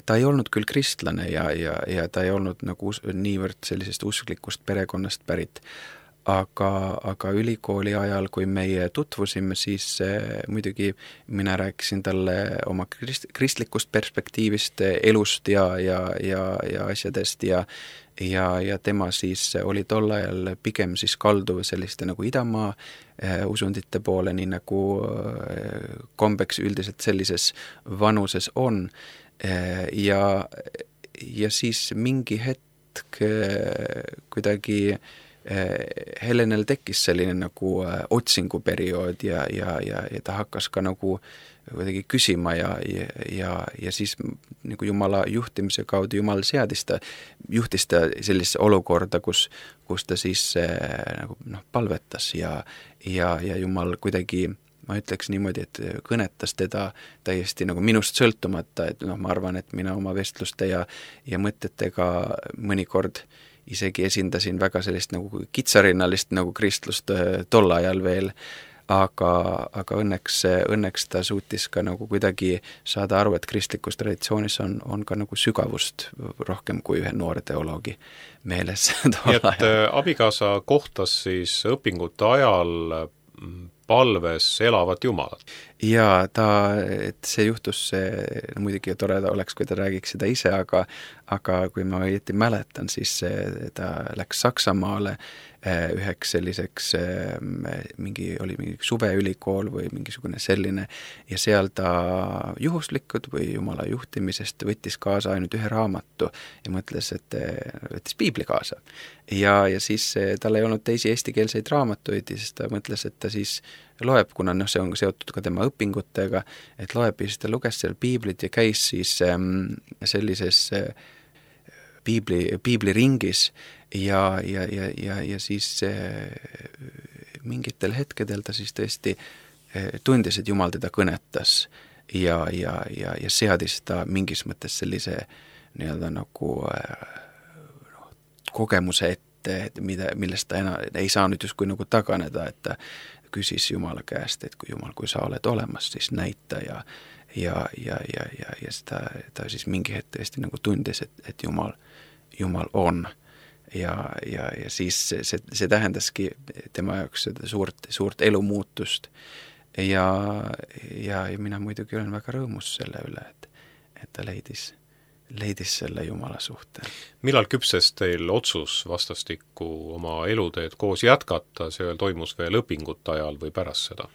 Speaker 3: Ta ei olnud küll kristlane ja, ja, ja ta ei olnud nagu niivõrd sellisest usklikust perekonnast pärit, aga, aga ülikooli ajal, kui meie tutvusime, siis muidugi mina rääkisin talle oma krist, kristlikust perspektiivist, elust ja, ja, ja, ja asjadest ja ja, ja tema siis oli tol ajal pigem siis kalduv selliste nagu idamaa eh, usundite poole, nii nagu eh, kombeks üldiselt sellises vanuses on eh, ja, ja siis mingi hetk eh, kuidagi eh, Helenel tekkis selline nagu eh, otsinguperiood ja, ja, ja, ja ta hakkas ka nagu kuidagi küsima ja, ja, ja, ja siis nagu Jumala juhtimise kaudu Jumal seadis ta, juhtis ta sellise olukorda, kus, kus ta siis äh, nagu, noh, palvetas ja, ja, ja Jumal kuidagi, ma ütleks niimoodi, et kõnetas teda täiesti nagu minust sõltumata, et noh, ma arvan, et mina oma vestluste ja, ja mõtetega mõnikord isegi esindasin väga sellist nagu kitsarinnalist nagu kristlust äh, tol ajal veel, aga, aga õnneks, õnneks ta suutis ka nagu kuidagi saada aru, et kristlikus traditsioonis on, on ka nagu sügavust rohkem kui ühe noore teoloogi meeles.
Speaker 2: Nii et abikaasa kohtas siis õpingute ajal palves elavat Jumalat.
Speaker 3: Ja ta, et see juhtus, see, no muidugi tore oleks, kui ta räägiks seda ise, aga, aga kui ma õieti mäletan, siis ta läks Saksamaale üheks selliseks, mingi, oli mingi suveülikool või mingisugune selline ja seal ta juhuslikud või Jumala juhtimisest võttis kaasa ainult ühe raamatu ja mõtles, et võttis piibli kaasa. Ja, ja siis tal ei olnud teisi eestikeelseid raamatuid ja siis ta mõtles, et ta siis loeb, kuna noh, see on seotud ka tema õpingutega, et loeb ja siis ta luges seal piiblit ja käis siis ähm, sellises äh, piibli, piibliringis ja, ja, ja, ja, ja siis äh, mingitel hetkedel ta siis tõesti äh, tundis, et Jumal teda kõnetas ja, ja, ja, ja seadis ta mingis mõttes sellise nii-öelda nagu äh, kogemuse ette, et mida, millest ta enam ei saa nüüd justkui nagu taganeda, et ta küsis Jumala käest, et kui Jumal, kui sa oled olemas, siis näita ja ja, ja, ja, ja, ja seda, ta siis mingi hetk tõesti nagu tundis, et, et Jumal, Jumal on ja, ja, ja siis see, see tähendaski tema jaoks seda suurt, suurt elumuutust ja, ja, ja mina muidugi olen väga rõõmus selle üle, et, et ta leidis leidis selle Jumala suhte.
Speaker 2: Millal küpses teil otsus vastastikku oma eluteed koos jätkata, see toimus veel õpingute ajal või pärast seda?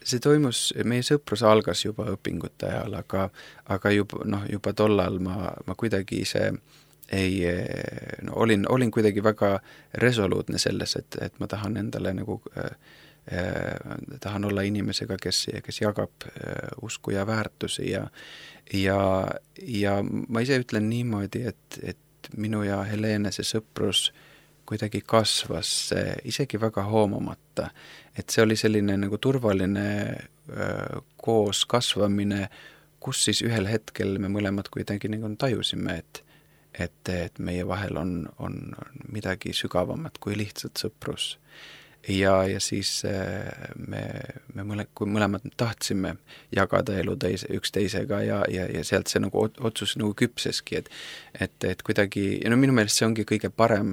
Speaker 3: See toimus, meie sõprus algas juba õpingute ajal, aga, aga juba, noh, juba tollal ma, ma kuidagi ise ei, no, olin, olin kuidagi väga resoluutne selles, et, et ma tahan endale nagu äh, tahan olla inimesega, kes, kes jagab usku ja väärtusi ja, ja, ja ma ise ütlen niimoodi, et, et minu ja Helene see sõprus kuidagi kasvas isegi väga hoomamata, et see oli selline nagu turvaline öö, koos kasvamine, kus siis ühel hetkel me mõlemad kuidagi nagu tajusime, et, et, et meie vahel on, on midagi sügavamat kui lihtsalt sõprus. Ja, ja siis me, me mõle, kui mõlemad tahtsime jagada elu teise, üks teisega ja, ja, ja sealt see nagu otsus nagu küpseski, et, et, et kuidagi, ja no minu meelest see ongi kõige parem,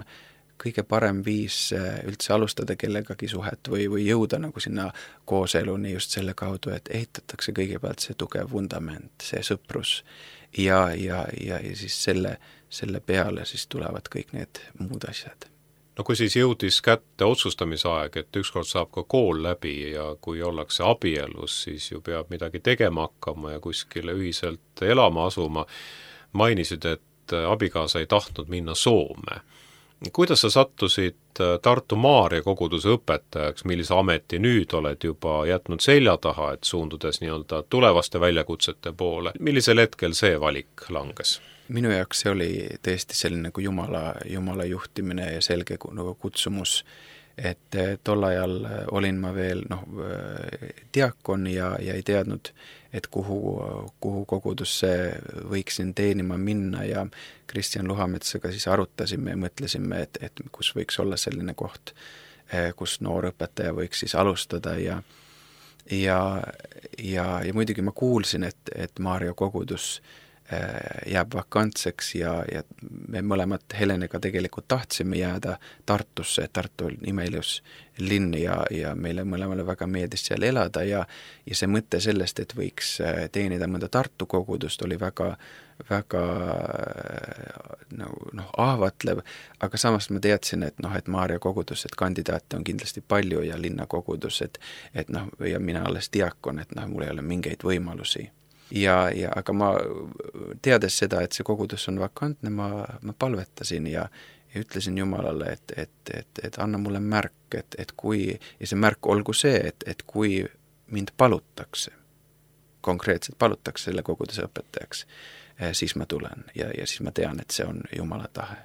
Speaker 3: kõige parem viis üldse alustada kellegagi suhet või, või jõuda nagu sinna kooseluni just selle kaudu, et ehitatakse kõigepealt see tugev vundament, see sõprus ja, ja, ja, ja siis selle, selle peale siis tulevad kõik need muud asjad.
Speaker 2: No kui siis jõudis kätte otsustamise aeg, et ükskord saab ka kool läbi ja kui ollakse abielus, siis ju peab midagi tegema hakkama ja kuskile ühiselt elama asuma, mainisid, et abikaasa ei tahtnud minna Soome. Kuidas sa sattusid Tartu Maarja koguduse õpetajaks, millise ameti nüüd oled juba jätnud selja taha, et suundudes nii-öelda tulevaste väljakutsete poole? Millisel hetkel see valik langes?
Speaker 3: Minu jaoks see oli tõesti selline nagu jumala, jumala juhtimine ja selge nagu kutsumus, et tol ajal olin ma veel noh, diakon ja, ja ei teadnud, et kuhu, kuhu kogudusse võiksin teenima minna ja Kristjan Luhametsaga siis arutasime ja mõtlesime, et, et kus võiks olla selline koht, kus noor õpetaja võiks siis alustada ja ja, ja, ja muidugi ma kuulsin, et, et Maarja kogudus jääb vakantseks ja, ja me mõlemad Helenega tegelikult tahtsime jääda Tartusse, Tartu on imeilus linn ja, ja meile mõlemale väga meeldis seal elada ja, ja see mõte sellest, et võiks teenida mõnda Tartu kogudust, oli väga, väga no, noh, ahvatlev, aga samas ma teadsin, et noh, et Maarja kogudus, et kandidaate on kindlasti palju ja linnakogudus, et, et noh, ja mina alles diakon, et noh, mul ei ole mingeid võimalusi. Ja, ja aga ma teades seda, et see kogudus on vakantne, ma, ma palvetasin ja, ja ütlesin Jumalale, et, et, et, et anna mulle märk, et, et kui, ja see märk olgu see, et, et kui mind palutakse, konkreetselt palutakse selle koguduse õpetajaks, siis ma tulen ja, ja siis ma tean, et see on Jumala tahe.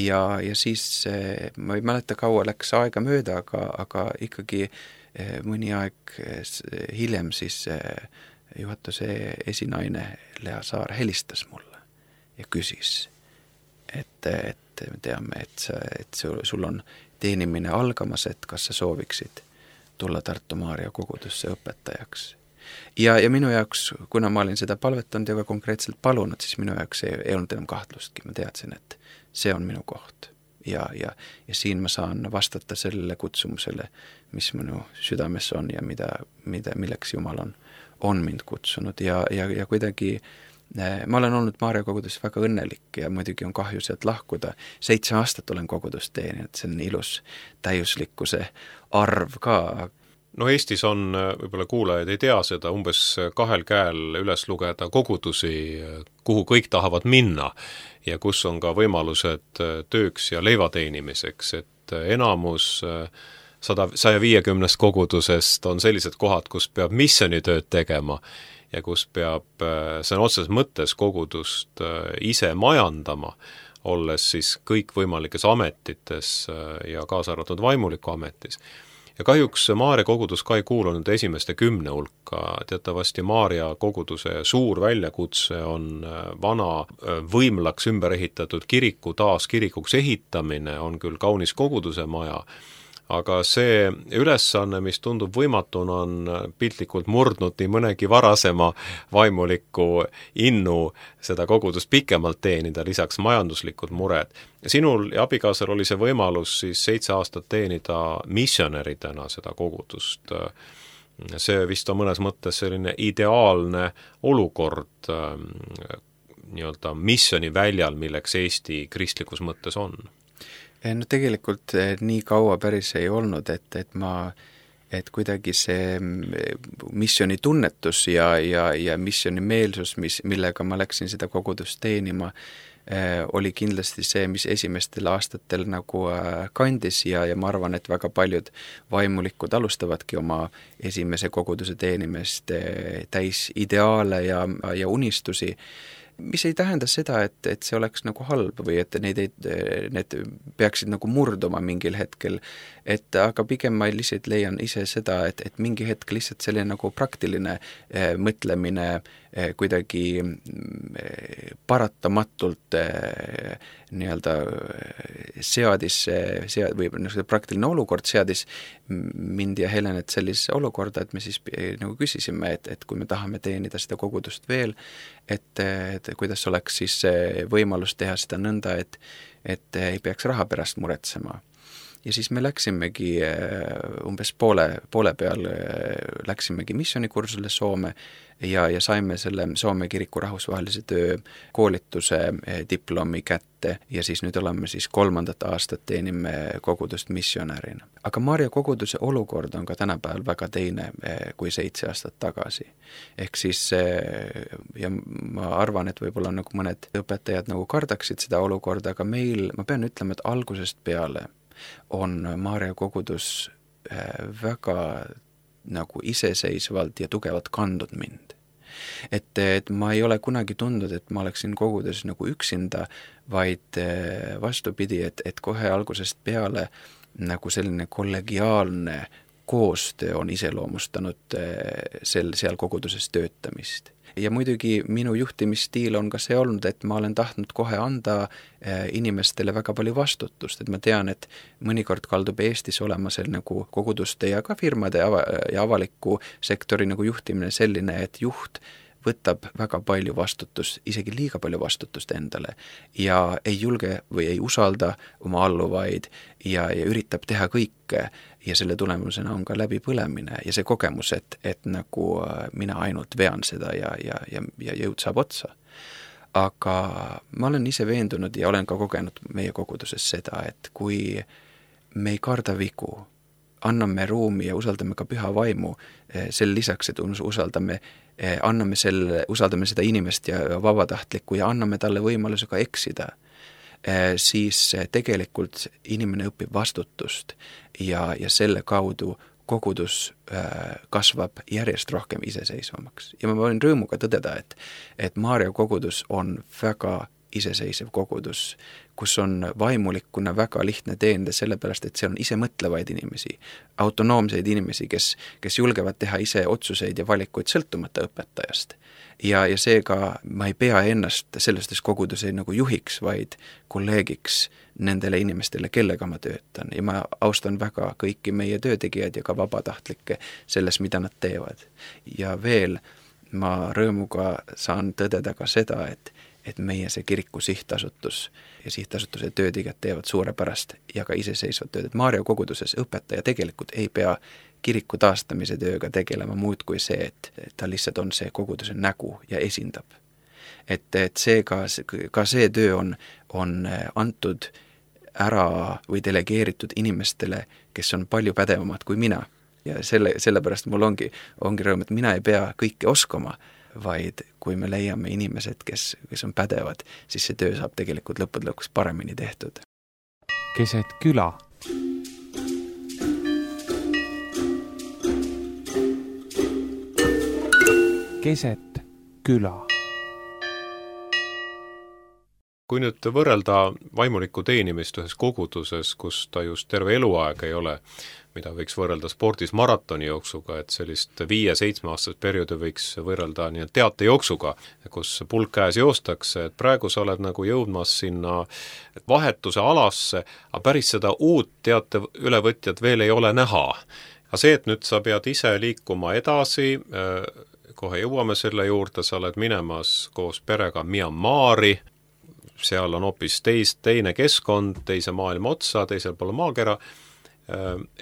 Speaker 3: Ja, ja siis ma ei mäleta kaua läks aega mööda, aga, aga ikkagi mõni aeg hiljem siis juhatuse esinaine Lea Saar helistas mulle ja küsis, et, et me teame, et, sa, et sul, sul on teenimine algamas, et kas sa sooviksid tulla Tartu Maarja kogudusse õpetajaks. Ja, ja minu jaoks, kuna ma olin seda palvetanud ja ka konkreetselt palunud, siis minu jaoks ei, ei olnud enam kahtlustki. Ma teadsin, et see on minu koht. Ja, ja, ja siin ma saan vastata sellele kutsumusele, mis minu südames on ja mida, mida, milleks Jumal on on mind kutsunud ja, ja, ja kuidagi ma olen olnud Maarja kogudus väga õnnelik ja muidugi on kahju sealt lahkuda. Seitse aastat olen kogudust teeninud, see on ilus täiuslikkuse arv ka.
Speaker 2: No Eestis on, võib-olla kuulajaid ei tea seda, umbes kahel käel üles lugeda kogudusi, kuhu kõik tahavad minna ja kus on ka võimalused tööks ja leivateenimiseks, et enamus sada, saja viiekümnest kogudusest on sellised kohad, kus peab missionitööd tegema ja kus peab, see on otseses mõttes kogudust ise majandama, olles siis kõikvõimalikes ametites ja kaasa arvatud vaimuliku ametis. Ja kahjuks Maarja kogudus ka ei kuulunud esimeste kümne hulka, teatavasti Maarja koguduse suur väljakutse on vana võimlaks ümber ehitatud kiriku taas kirikuks ehitamine, on küll kaunis koguduse maja, aga see ülesanne, mis tundub võimatuna, on piltlikult murdnud nii mõnegi varasema vaimuliku innu seda kogudust pikemalt teenida, lisaks majanduslikud mured. Sinul ja abikaasal oli see võimalus siis seitse aastat teenida missionäridena seda kogudust. See vist on mõnes mõttes selline ideaalne olukord nii-öelda missioni väljal, milleks Eesti kristlikus mõttes on.
Speaker 3: No tegelikult nii kaua päris ei olnud, et, et ma, et kuidagi see missioni tunnetus ja, ja, ja missioni meelsus, mis, millega ma läksin seda kogudust teenima, oli kindlasti see, mis esimestel aastatel nagu kandis ja, ja ma arvan, et väga paljud vaimulikud alustavadki oma esimese koguduse teenimist täis ideaale ja, ja unistusi, mis ei tähenda seda, et, et see oleks nagu halb või et need, need peaksid nagu murduma mingil hetkel, et aga pigem ma lihtsalt leian ise seda, et, et mingi hetk lihtsalt selline nagu praktiline eh, mõtlemine eh, kuidagi eh, paratamatult eh, nii-öelda seadis sead, või see praktiline olukord seadis mind ja Helenet sellise olukorda, et me siis nagu küsisime, et, et kui me tahame teenida seda kogudust veel, et, et kuidas oleks siis võimalus teha seda nõnda, et, et ei peaks raha pärast muretsema. ja siis me läksimegi umbes poole, poole peal läksimegi missioonikursule Soome ja, ja saime selle Soome kiriku rahvusvahelise töö koolituse diplomi kätte ja siis nüüd oleme siis kolmandat aastat teenime kogudust missionärina. Aga Maarja koguduse olukord on ka tänapäeval väga teine kui seitse aastat tagasi. Ehk siis, ja ma arvan, et võib-olla nagu mõned õpetajad nagu kardaksid seda olukorda, aga meil, ma pean ütlema, et algusest peale on Maarja kogudus väga nagu iseseisvalt ja tugevalt kandnud mind. Et, et ma ei ole kunagi tundnud, et ma oleksin kogudes nagu üksinda, vaid vastupidi, et, et kohe algusest peale nagu selline kollegiaalne koostöö on iseloomustanud sel, seal koguduses töötamist. Ja muidugi minu juhtimisstiil on ka see olnud, et ma olen tahtnud kohe anda inimestele väga palju vastutust, et ma tean, et mõnikord kaldub Eestis olema seal nagu koguduste ja ka firmade ja avaliku sektori nagu juhtimine selline, et juht võtab väga palju vastutust, isegi liiga palju vastutust endale ja ei julge või ei usalda oma alluvaid ja, ja üritab teha kõike ja selle tulemusena on ka läbipõlemine ja see kogemus, et, et nagu mina ainult vean seda ja, ja, ja, ja jõud saab otsa. Aga ma olen ise veendunud ja olen ka kogenud meie koguduses seda, et kui me ei karda vigu, anname ruumi ja usaldame ka püha vaimu, sel lisaks, et usaldame anname selle, usaldame seda inimest ja vabatahtlikku ja anname talle võimaluse ka eksida, siis tegelikult inimene õpib vastutust ja, ja selle kaudu kogudus kasvab järjest rohkem iseseisvamaks. Ja ma võin rõõmuga tõdeda, et, et Maarja kogudus on väga iseseisev kogudus, kus on vaimulikuna väga lihtne teende, sellepärast, et seal on ise mõtlevaid inimesi, autonoomseid inimesi, kes, kes julgevad teha ise otsuseid ja valikuid sõltumata õpetajast. Ja, ja seega ma ei pea ennast selles koguduse nagu juhiks, vaid kolleegiks nendele inimestele, kellega ma töötan. Ja ma austan väga kõiki meie töötegijad ja ka vabatahtlikke selles, mida nad teevad. Ja veel ma rõõmuga saan tõdeda ka seda, et et meie see kiriku sihtasutus ja sihtasutuse töötegijad teevad suurepärast ja ka iseseisvat tööd. Et Maarja koguduses õpetaja tegelikult ei pea kiriku taastamise tööga tegelema muud kui see, et ta lihtsalt on see koguduse nägu ja esindab. Et, et see ka, ka see töö on, on antud ära või delegeeritud inimestele, kes on palju pädevamad kui mina. Ja selle, sellepärast mul ongi, ongi rõõm, et mina ei pea kõike oskama, vaid kui me leiame inimesed, kes, kes on pädevad, siis see töö saab tegelikult lõppude lõpuks paremini tehtud.
Speaker 1: Keset küla. Keset küla.
Speaker 2: Kui nüüd võrrelda vaimuliku teenimist ühes koguduses, kus ta just terve eluaeg ei ole, mida võiks võrrelda spordis maratoni jooksuga, et sellist viie-seitsme aastast perioodi võiks võrrelda nii teate jooksuga, kus pulk käes joostakse, et praegu sa oled nagu jõudmas sinna vahetuse alasse, aga päris seda uut teate ülevõtjat veel ei ole näha. Aga see, et nüüd sa pead ise liikuma edasi, kohe jõuame selle juurde, sa oled minemas koos perega Myanmari, seal on hoopis teis, teine keskkond, teise maailma otsa, teisel poole maakera,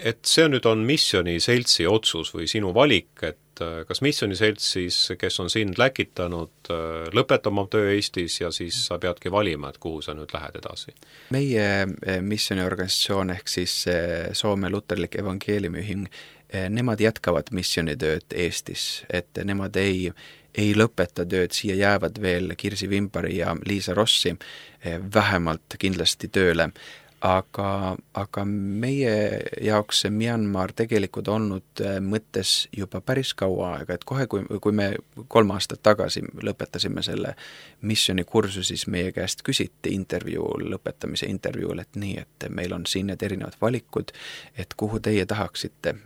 Speaker 2: et see nüüd on missioniseltsi otsus või sinu valik, et kas missioniselts siis, kes on sind läkitanud, lõpetama töö Eestis ja siis sa peadki valima, et kuhu sa nüüd lähed edasi?
Speaker 3: Meie missioniorganisatsioon ehk siis Soome Luterlik Evangeeliumiühing, nemad jätkavad missionitööd Eestis, et nemad ei ei lõpeta tööd, siia jäävad veel Kirsi Vimpari ja Liisa Rossi vähemalt kindlasti tööle. Aga, aga meie jaoks see Myanmar tegelikult olnud mõttes juba päris kaua aega, et kohe, kui, kui me kolm aastat tagasi lõpetasime selle missionikursu, siis meie käest küsiti intervjuu, lõpetamise intervjuul, et nii, et meil on siin need erinevad valikud, et kuhu teie tahaksite,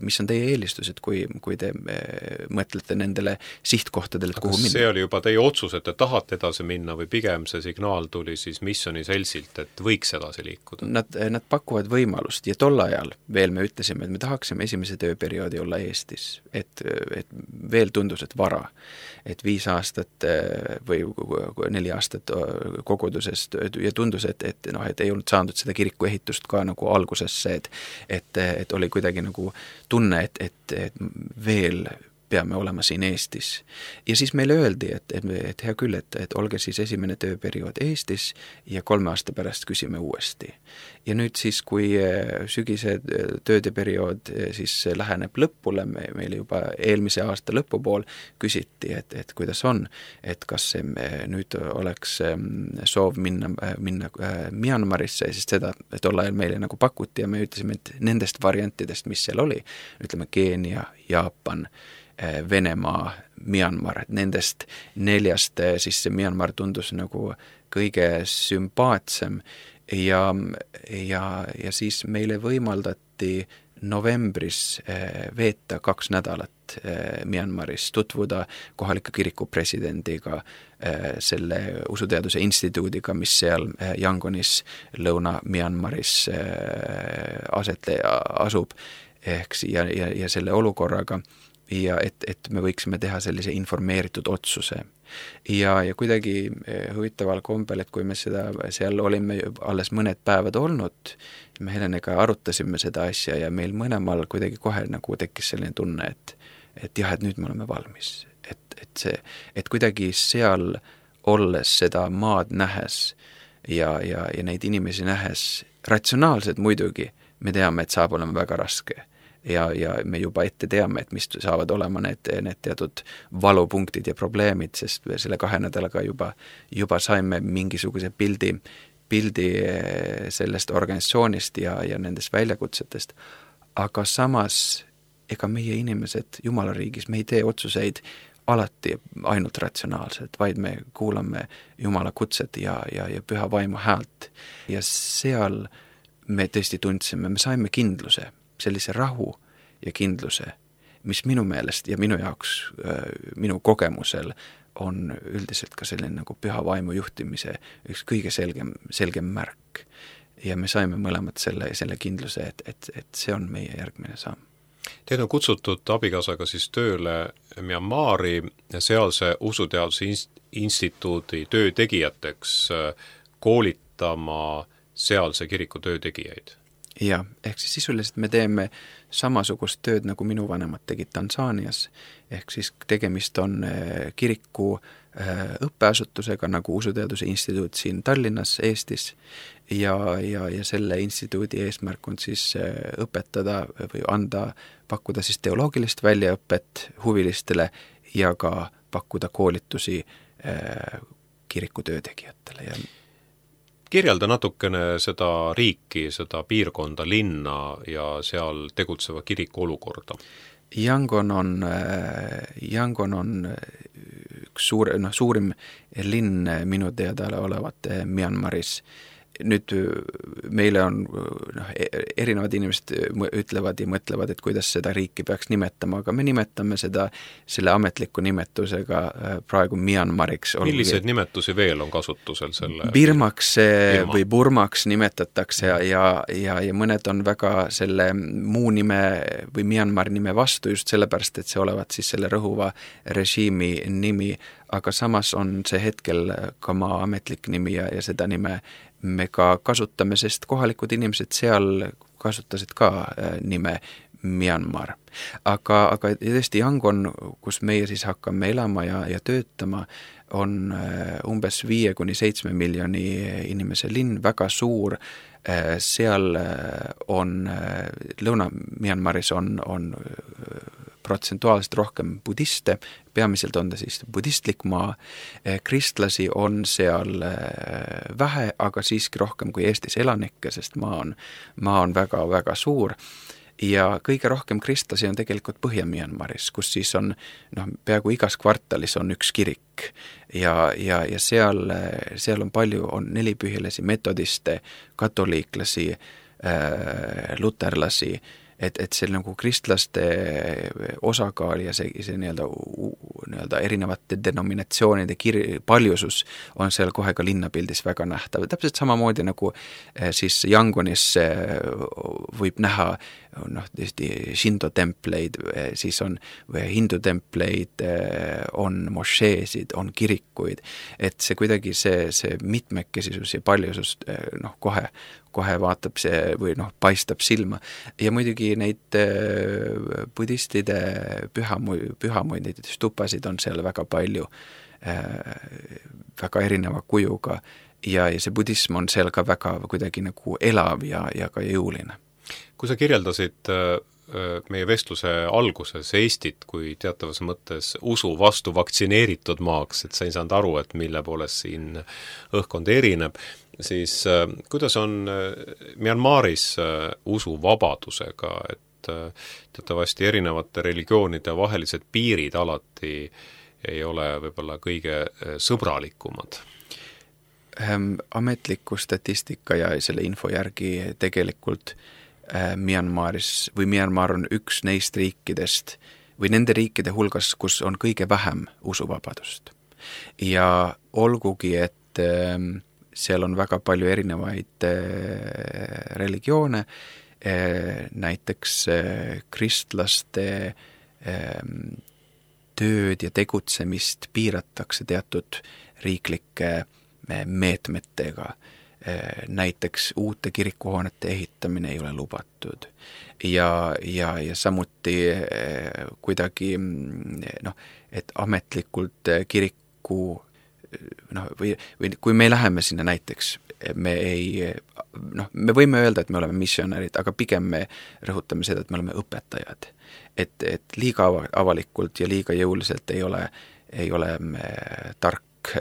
Speaker 3: mis on teie eelistused, kui, kui te mõtlete nendele sihtkohtadele, et kuhu minna.
Speaker 2: See oli juba teie otsus, et te tahate edasi minna või pigem see signaal tuli siis missioniseltsilt, et võiks edasi liikuda? liikuda?
Speaker 3: Nad, nad pakuvad võimalust ja tol ajal veel me ütlesime, et me tahaksime esimese tööperioodi olla Eestis, et, et veel tundus, et vara, et viis aastat või neli aastat koguduses ja tundus, et, et, noh, et ei olnud saanud seda kiriku ehitust ka nagu algusesse, et, et, et oli kuidagi nagu tunne, et, et, et veel peame olema siin Eestis. Ja siis meile öeldi, et, et, et hea küll, et, et olge siis esimene tööperiood Eestis ja kolme aasta pärast küsime uuesti. Ja nüüd siis, kui sügise töödeperiood siis läheneb lõpule, me, meil juba eelmise aasta lõpupool küsiti, et, et kuidas on, et kas see nüüd oleks soov minna, minna Myanmarisse, siis seda tol ajal meile nagu pakuti ja me ütlesime, et nendest variantidest, mis seal oli, ütleme Keenia, Jaapan, Venemaa, Myanmar, et nendest neljast siis see Myanmar tundus nagu kõige sümpaatsem ja, ja, ja siis meile võimaldati novembris veeta kaks nädalat Myanmaris, tutvuda kohaliku kiriku presidendiga, selle usuteaduse instituudiga, mis seal Yangonis Lõuna-Myanmaris aset asub, ehk ja, ja, ja selle olukorraga, ja et, et me võiksime teha sellise informeeritud otsuse. Ja, ja kuidagi huvitaval kombel, et kui me seda, seal olime alles mõned päevad olnud, me Helenega arutasime seda asja ja meil mõlemal kuidagi kohe nagu tekkis selline tunne, et, et jah, et nüüd me oleme valmis. Et, et, see, et kuidagi seal olles seda maad nähes ja, ja, ja neid inimesi nähes, ratsionaalselt muidugi, me teame, et saab olema väga raske. Ja, ja me juba ette teame, et mis saavad olema need, need teatud valupunktid ja probleemid, sest selle kahe nädalaga juba, juba saime mingisuguse pildi, pildi sellest organisatsioonist ja, ja nendest väljakutsetest. Aga samas, ega meie inimesed Jumala riigis, me ei tee otsuseid alati ainult ratsionaalselt, vaid me kuulame Jumala kutset ja, ja, ja püha vaimu häält. Ja seal me tõesti tundsime, me saime kindluse, sellise rahu ja kindluse, mis minu meelest ja minu jaoks, minu kogemusel on üldiselt ka selline nagu püha vaimu juhtimise üks kõige selgem, selgem märk. Ja me saime mõlemad selle, selle kindluse, et, et, et see on meie järgmine samm.
Speaker 2: Teid on kutsutud abikaasaga siis tööle Myanmari sealse usuteaduse instituudi töötegijateks koolitama sealse kiriku töötegijaid.
Speaker 3: Ja, ehk siis sisuliselt me teeme samasugust tööd, nagu minu vanemad tegid Tansaanias, ehk siis tegemist on kiriku õppeasutusega nagu usuteaduse instituut siin Tallinnas, Eestis ja, ja, ja selle instituudi eesmärk on siis õpetada või anda, pakkuda siis teoloogilist väljaõpet huvilistele ja ka pakkuda koolitusi kiriku töötegijatele ja
Speaker 2: kirjelda natukene seda riiki, seda piirkonda, linna ja seal tegutseva kiriku olukorda.
Speaker 3: Yangon on, Yangon on üks suur, no, suurim linn minu teada olevat Myanmaris. Nüüd meile on, noh, erinevad inimesed ütlevad ja mõtlevad, et kuidas seda riiki peaks nimetama, aga me nimetame seda selle ametliku nimetusega praegu Myanmariks.
Speaker 2: Milliseid nimetusi veel on kasutusel selle?
Speaker 3: Birmaks Birma. Või Burmaks nimetatakse ja, ja, ja, ja mõned on väga selle muu nime või Myanmari nime vastu just sellepärast, et see olevat siis selle rõhuva režiimi nimi, aga samas on see hetkel ka maa ametlik nimi ja, ja seda nime me ka kasutame, sest kohalikud inimesed seal kasutasid ka nime Myanmar. Aga, aga tõesti Yangon, kus meie siis hakkame elama ja, ja töötama, on umbes viie kuni seitsme miljoni inimese linn, väga suur. Seal on, Lõuna-Myanmaris on, on protsentuaalselt rohkem budiste, peamiselt on ta siis budistlik maa, kristlasi on seal vähe, aga siiski rohkem kui Eestis elanikke, sest maa on, maa on väga, väga suur. Ja kõige rohkem kristlasi on tegelikult Põhja-Myanmaris, kus siis on, noh, peaaegu igas kvartalis on üks kirik ja, ja, ja seal, seal on palju, on nelipühilasi, metodiste, katoliiklasi, äh, luterlasi, et, et see nagu kristlaste osakaal ja see, see nii-öelda nii-öelda erinevate denominatsioonide kir-, paljusus on seal kohe ka linnapildis väga nähtav. Täpselt samamoodi nagu siis Yangonis võib näha noh, tõesti Shinto templeid, siis on hindu templeid, on mošeesid, on kirikuid, et see kuidagi see, see mitmekesisus ja paljusus noh, kohe, kohe vaatab see või noh, paistab silma. Ja muidugi neid budistide pühamuid, pühamuid, neid stupasid on seal väga palju, väga erineva kujuga ja, ja see budism on seal ka väga kuidagi nagu elav ja, ja ka jõuline.
Speaker 2: Kui sa kirjeldasid meie vestluse alguses Eestit kui teatavas mõttes usu vastu vaktsineeritud maaks, et sa ei saanud aru, et mille poolest siin õhkkond erineb, siis kuidas on Myanmaris usuvabadusega, et teatavasti erinevate religioonide vahelised piirid alati ei ole võib-olla kõige sõbralikumad?
Speaker 3: Ametliku statistika ja selle info järgi tegelikult Myanmaris või Myanmar on üks neist riikidest või nende riikide hulgas, kus on kõige vähem usuvabadust. Ja olgugi, et seal on väga palju erinevaid religioone, näiteks kristlaste tööd ja tegutsemist piiratakse teatud riiklike meetmetega. Näiteks uute kirikuhoonete ehitamine ei ole lubatud ja, ja, ja samuti kuidagi noh, et ametlikult kiriku noh, või, või kui me läheme sinna näiteks, me ei noh, me võime öelda, et me oleme missionärid, aga pigem me rõhutame seda, et me oleme õpetajad. Et, et liiga avalikult ja liiga jõuliselt ei ole, ei ole tark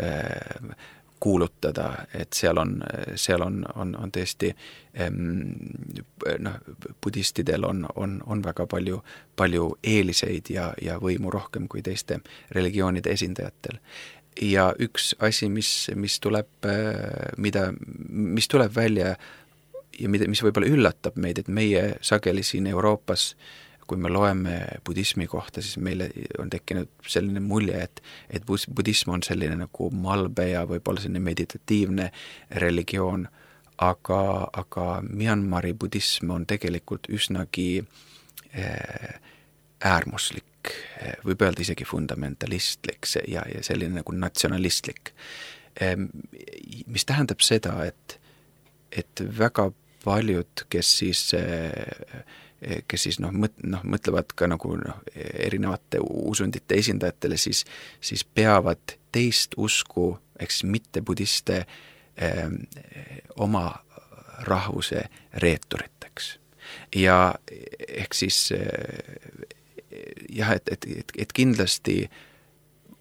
Speaker 3: kuulutada, et seal on, seal on, on, on tõesti noh, budistidel on, on, on väga palju, palju eeliseid ja, ja võimu rohkem kui teiste religioonide esindajatel. Ja üks asi, mis, mis tuleb, mida, mis tuleb välja ja mida, mis võib-olla üllatab meid, et meie sageli siin Euroopas, kui me loeme budismi kohta, siis meile on tekkinud selline mulje, et, et budism on selline nagu malbe ja võib-olla selline meditatiivne religioon, aga, aga Myanmari budism on tegelikult üsnagi äärmuslik, võib öelda isegi fundamentalistlik ja, ja selline nagu natsionalistlik. Mis tähendab seda, et, et väga paljud, kes siis kes siis noh, mõt, noh, mõtlevad ka nagu noh, erinevate usundite esindajatele, siis, siis peavad teist usku, eks mitte budiste eh, oma rahvuse reeturiteks. Ja ehk siis eh, jah, et, et, et, et kindlasti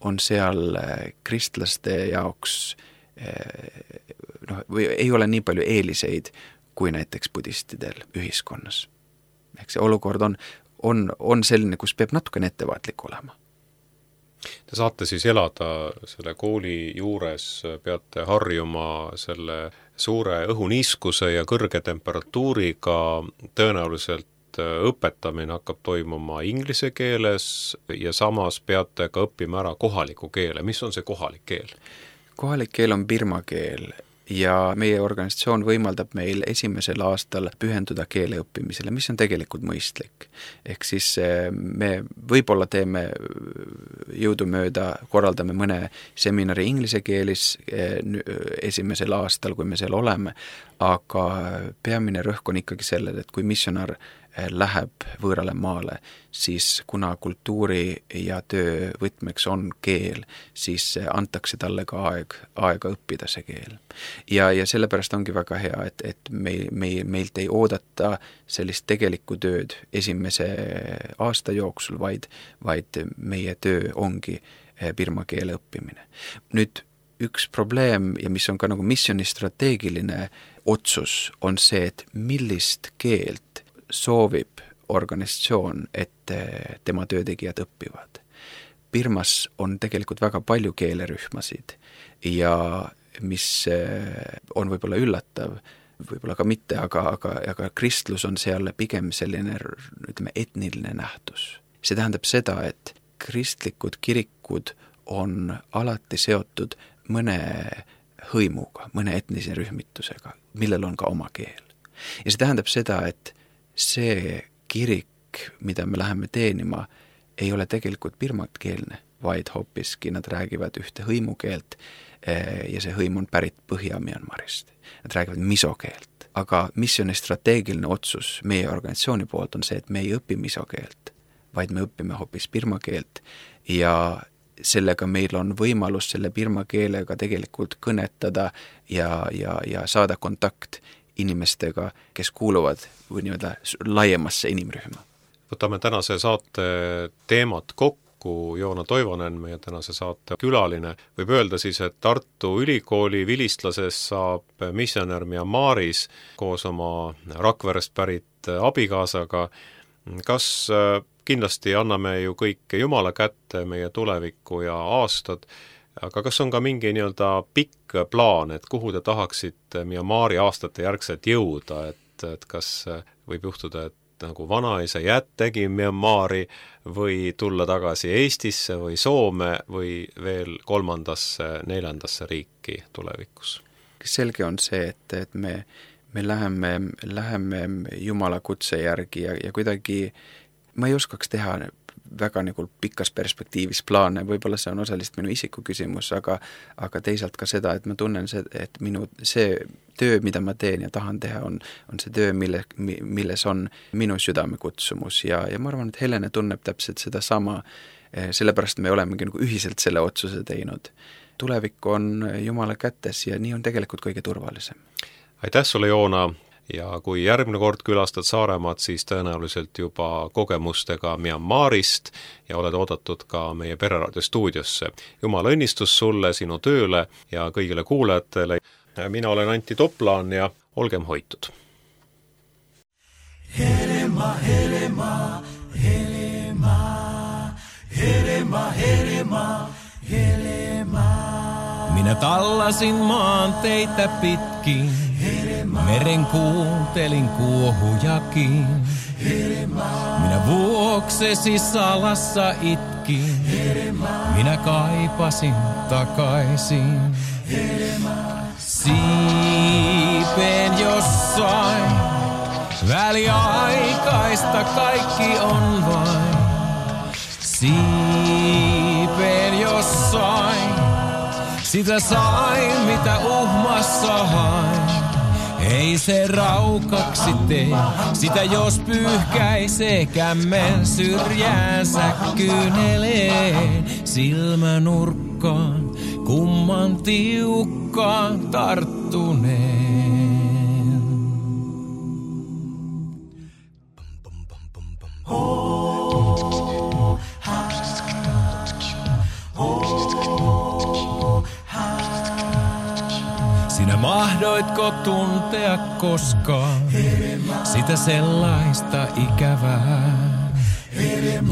Speaker 3: on seal kristlaste jaoks eh, noh, või ei ole nii palju eeliseid kui näiteks budistidel ühiskonnas. Ehk see olukord on, on, on selline, kus peab natukene ettevaatlik olema.
Speaker 2: Te saate siis elada selle kooli juures, peate harjuma selle suure õhuniiskuse ja kõrge temperatuuriga, tõenäoliselt õpetamine hakkab toimuma inglise keeles ja samas peate ka õppima ära kohaliku keele. Mis on see kohalik keel?
Speaker 3: Kohalik keel on birma keel. Ja meie organisatsioon võimaldab meil esimesel aastal pühenduda keele õppimisele, mis on tegelikult mõistlik. Ehk siis me võib-olla teeme jõudumööda, korraldame mõne seminari inglise keelis esimesel aastal, kui me seal oleme, aga peamine rõhk on ikkagi sellel, et kui missionar läheb võõrale maale, siis kuna kultuuri ja töö võtmeks on keel, siis antakse talle ka aeg, aega õppida see keel. Ja, ja sellepärast ongi väga hea, et, et meil, meil, meilt ei oodata sellist tegelikku tööd esimese aasta jooksul, vaid, vaid meie töö ongi birma keele õppimine. Nüüd üks probleem ja mis on ka nagu missiooni strateegiline otsus, on see, et millist keelt soovib organisatsioon, et tema töötegijad õppivad. Birmas on tegelikult väga palju keelerühmasid ja mis on võib-olla üllatav, võib-olla ka mitte, aga, aga, aga kristlus on seal pigem selline, ütleme, etniline nähtus. See tähendab seda, et kristlikud kirikud tulevikud on alati seotud mõne hõimuga, mõne etnise rühmitusega, millel on ka oma keel. Ja see tähendab seda, et see kirik, mida me läheme teenima, ei ole tegelikult birmatkeelne, vaid hoopiski nad räägivad ühte hõimukeelt ja see hõim on pärit Põhja-Myanmarist. Nad räägivad misokeelt. Aga missiooni strateegiline otsus meie organisatsiooni poolt on see, et me ei õpi misokeelt, vaid me õpime hoopis birmakeelt ja sellega meil on võimalus selle birma keelega tegelikult kõnetada ja, ja, ja saada kontakt inimestega, kes kuuluvad või nii-öelda laiemasse inimrühma.
Speaker 2: Võtame tänase saate teemat kokku. Joona Toivonen, meie tänase saate külaline. Võib öelda siis, et Tartu Ülikooli Vilistlases saab missionär Myanmaris koos oma Rakverest pärit abikaasaga. Kas kindlasti anname ju kõik Jumala kätte meie tulevikku ja aastad, aga kas on ka mingi nii-öelda pikk plaan, et kuhu te tahaksite Myanmari aastate järgselt jõuda, et, et kas võib juhtuda, et nagu vanaisa jättegi Myanmari või tulla tagasi Eestisse või Soome või veel kolmandasse, neljandasse riiki tulevikus?
Speaker 3: Selge on see, et, et me, me läheme, läheme Jumala kutse järgi ja, ja kuidagi ma ei oskaks teha väga nagu pikas perspektiivis plaane, võib-olla see on osaliselt minu isiku küsimus, aga, aga teisalt ka seda, et ma tunnen, see, et minu see töö, mida ma teen ja tahan teha, on, on see töö, mille, milles on minu südame kutsumus ja, ja ma arvan, et Helene tunneb täpselt seda sama, sellepärast me olemegi nagu ühiselt selle otsuse teinud. Tulevik on Jumala kätes ja nii on tegelikult kõige turvalisem.
Speaker 2: Aitäh sulle, Joona! Ja kui järgmine kord külastad Saaremaad, siis tõenäoliselt juba kogemustega Myanmarist ja oled oodatud ka meie Pereraadio stuudiosse. Jumala õnnistus sulle, sinu tööle ja kõigile kuulajatele. Mina olen Antti Toplaan ja olgem hoitud.
Speaker 4: Helema, helema, helema, helema, helema, helema.
Speaker 5: Minä tallasin maanteitä pitkin. Meren kuuntelin kuohujakin. Minä vuoksesi salassa itkin. Minä kaipasin takaisin. Siipeen jossain. Väliaikaista kaikki on vain. Siipeen jossain. Sitä sain mitä uhmassa hain. Ei se raukaksi tee, sitä jos pyyhkäisee kämmen syrjäänsä kyyneleen silmänurkkaan, kumman tiukkaan tarttuneen. Oh, ha, oh. Sinä mahdoitko tuntea koskaan sitä sellaista ikävää,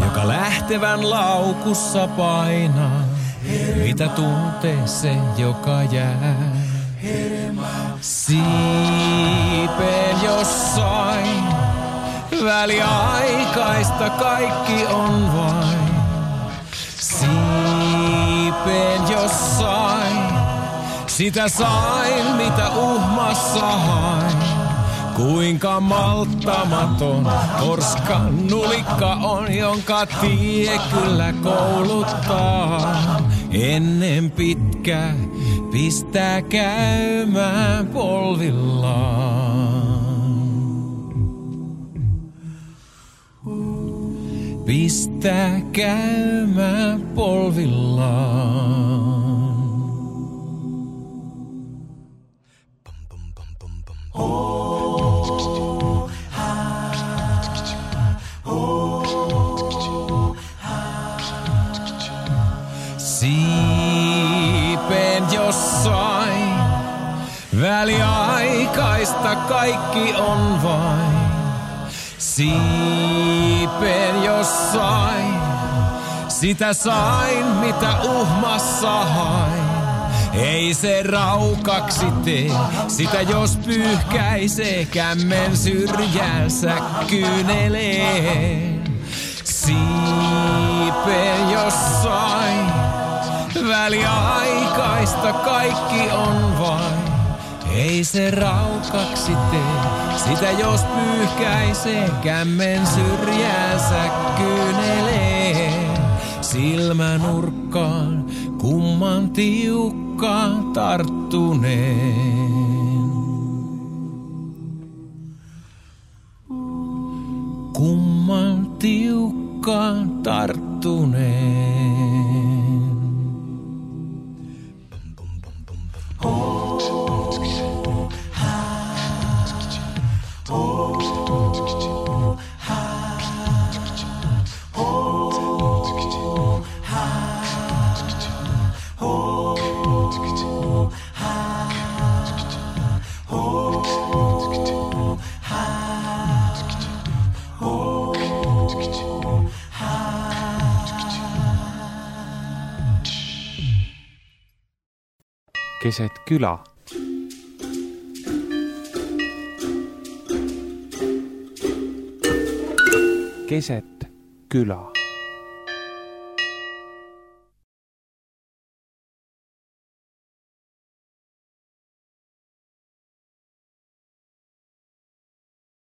Speaker 5: joka lähtevän laukussa painaa, mitä tuntee se, joka jää. Siipeen jossain, väliaikaista kaikki on vain. Siipeen jossain. Sitä sain, mitä uhmassa hain. Kuinka malttamaton korskan nulikka on, jonka tie kyllä kouluttaa. Ennen pitkää pistää käymään polvillaan. Pistää käymään polvillaan. Oh, ha, oh, ha. Siipeen jossain, väliaikaista kaikki on vain. Siipeen jossain, sitä sain mitä uhmassa hain. Ei se raukaksi tee, sitä jos pyyhkäisee kämmen syrjäänsä kyyneleen. Siipeen jossain, Väliaikaista kaikki on vain. Ei se raukaksi tee, sitä jos pyyhkäisee, kämmen syrjäänsä kyynelee. Silmänurkkaan kumman tiukkaan tarttuneen. Kumman tiukkaan tarttuneen.
Speaker 1: Keset kylä. Keset kylä.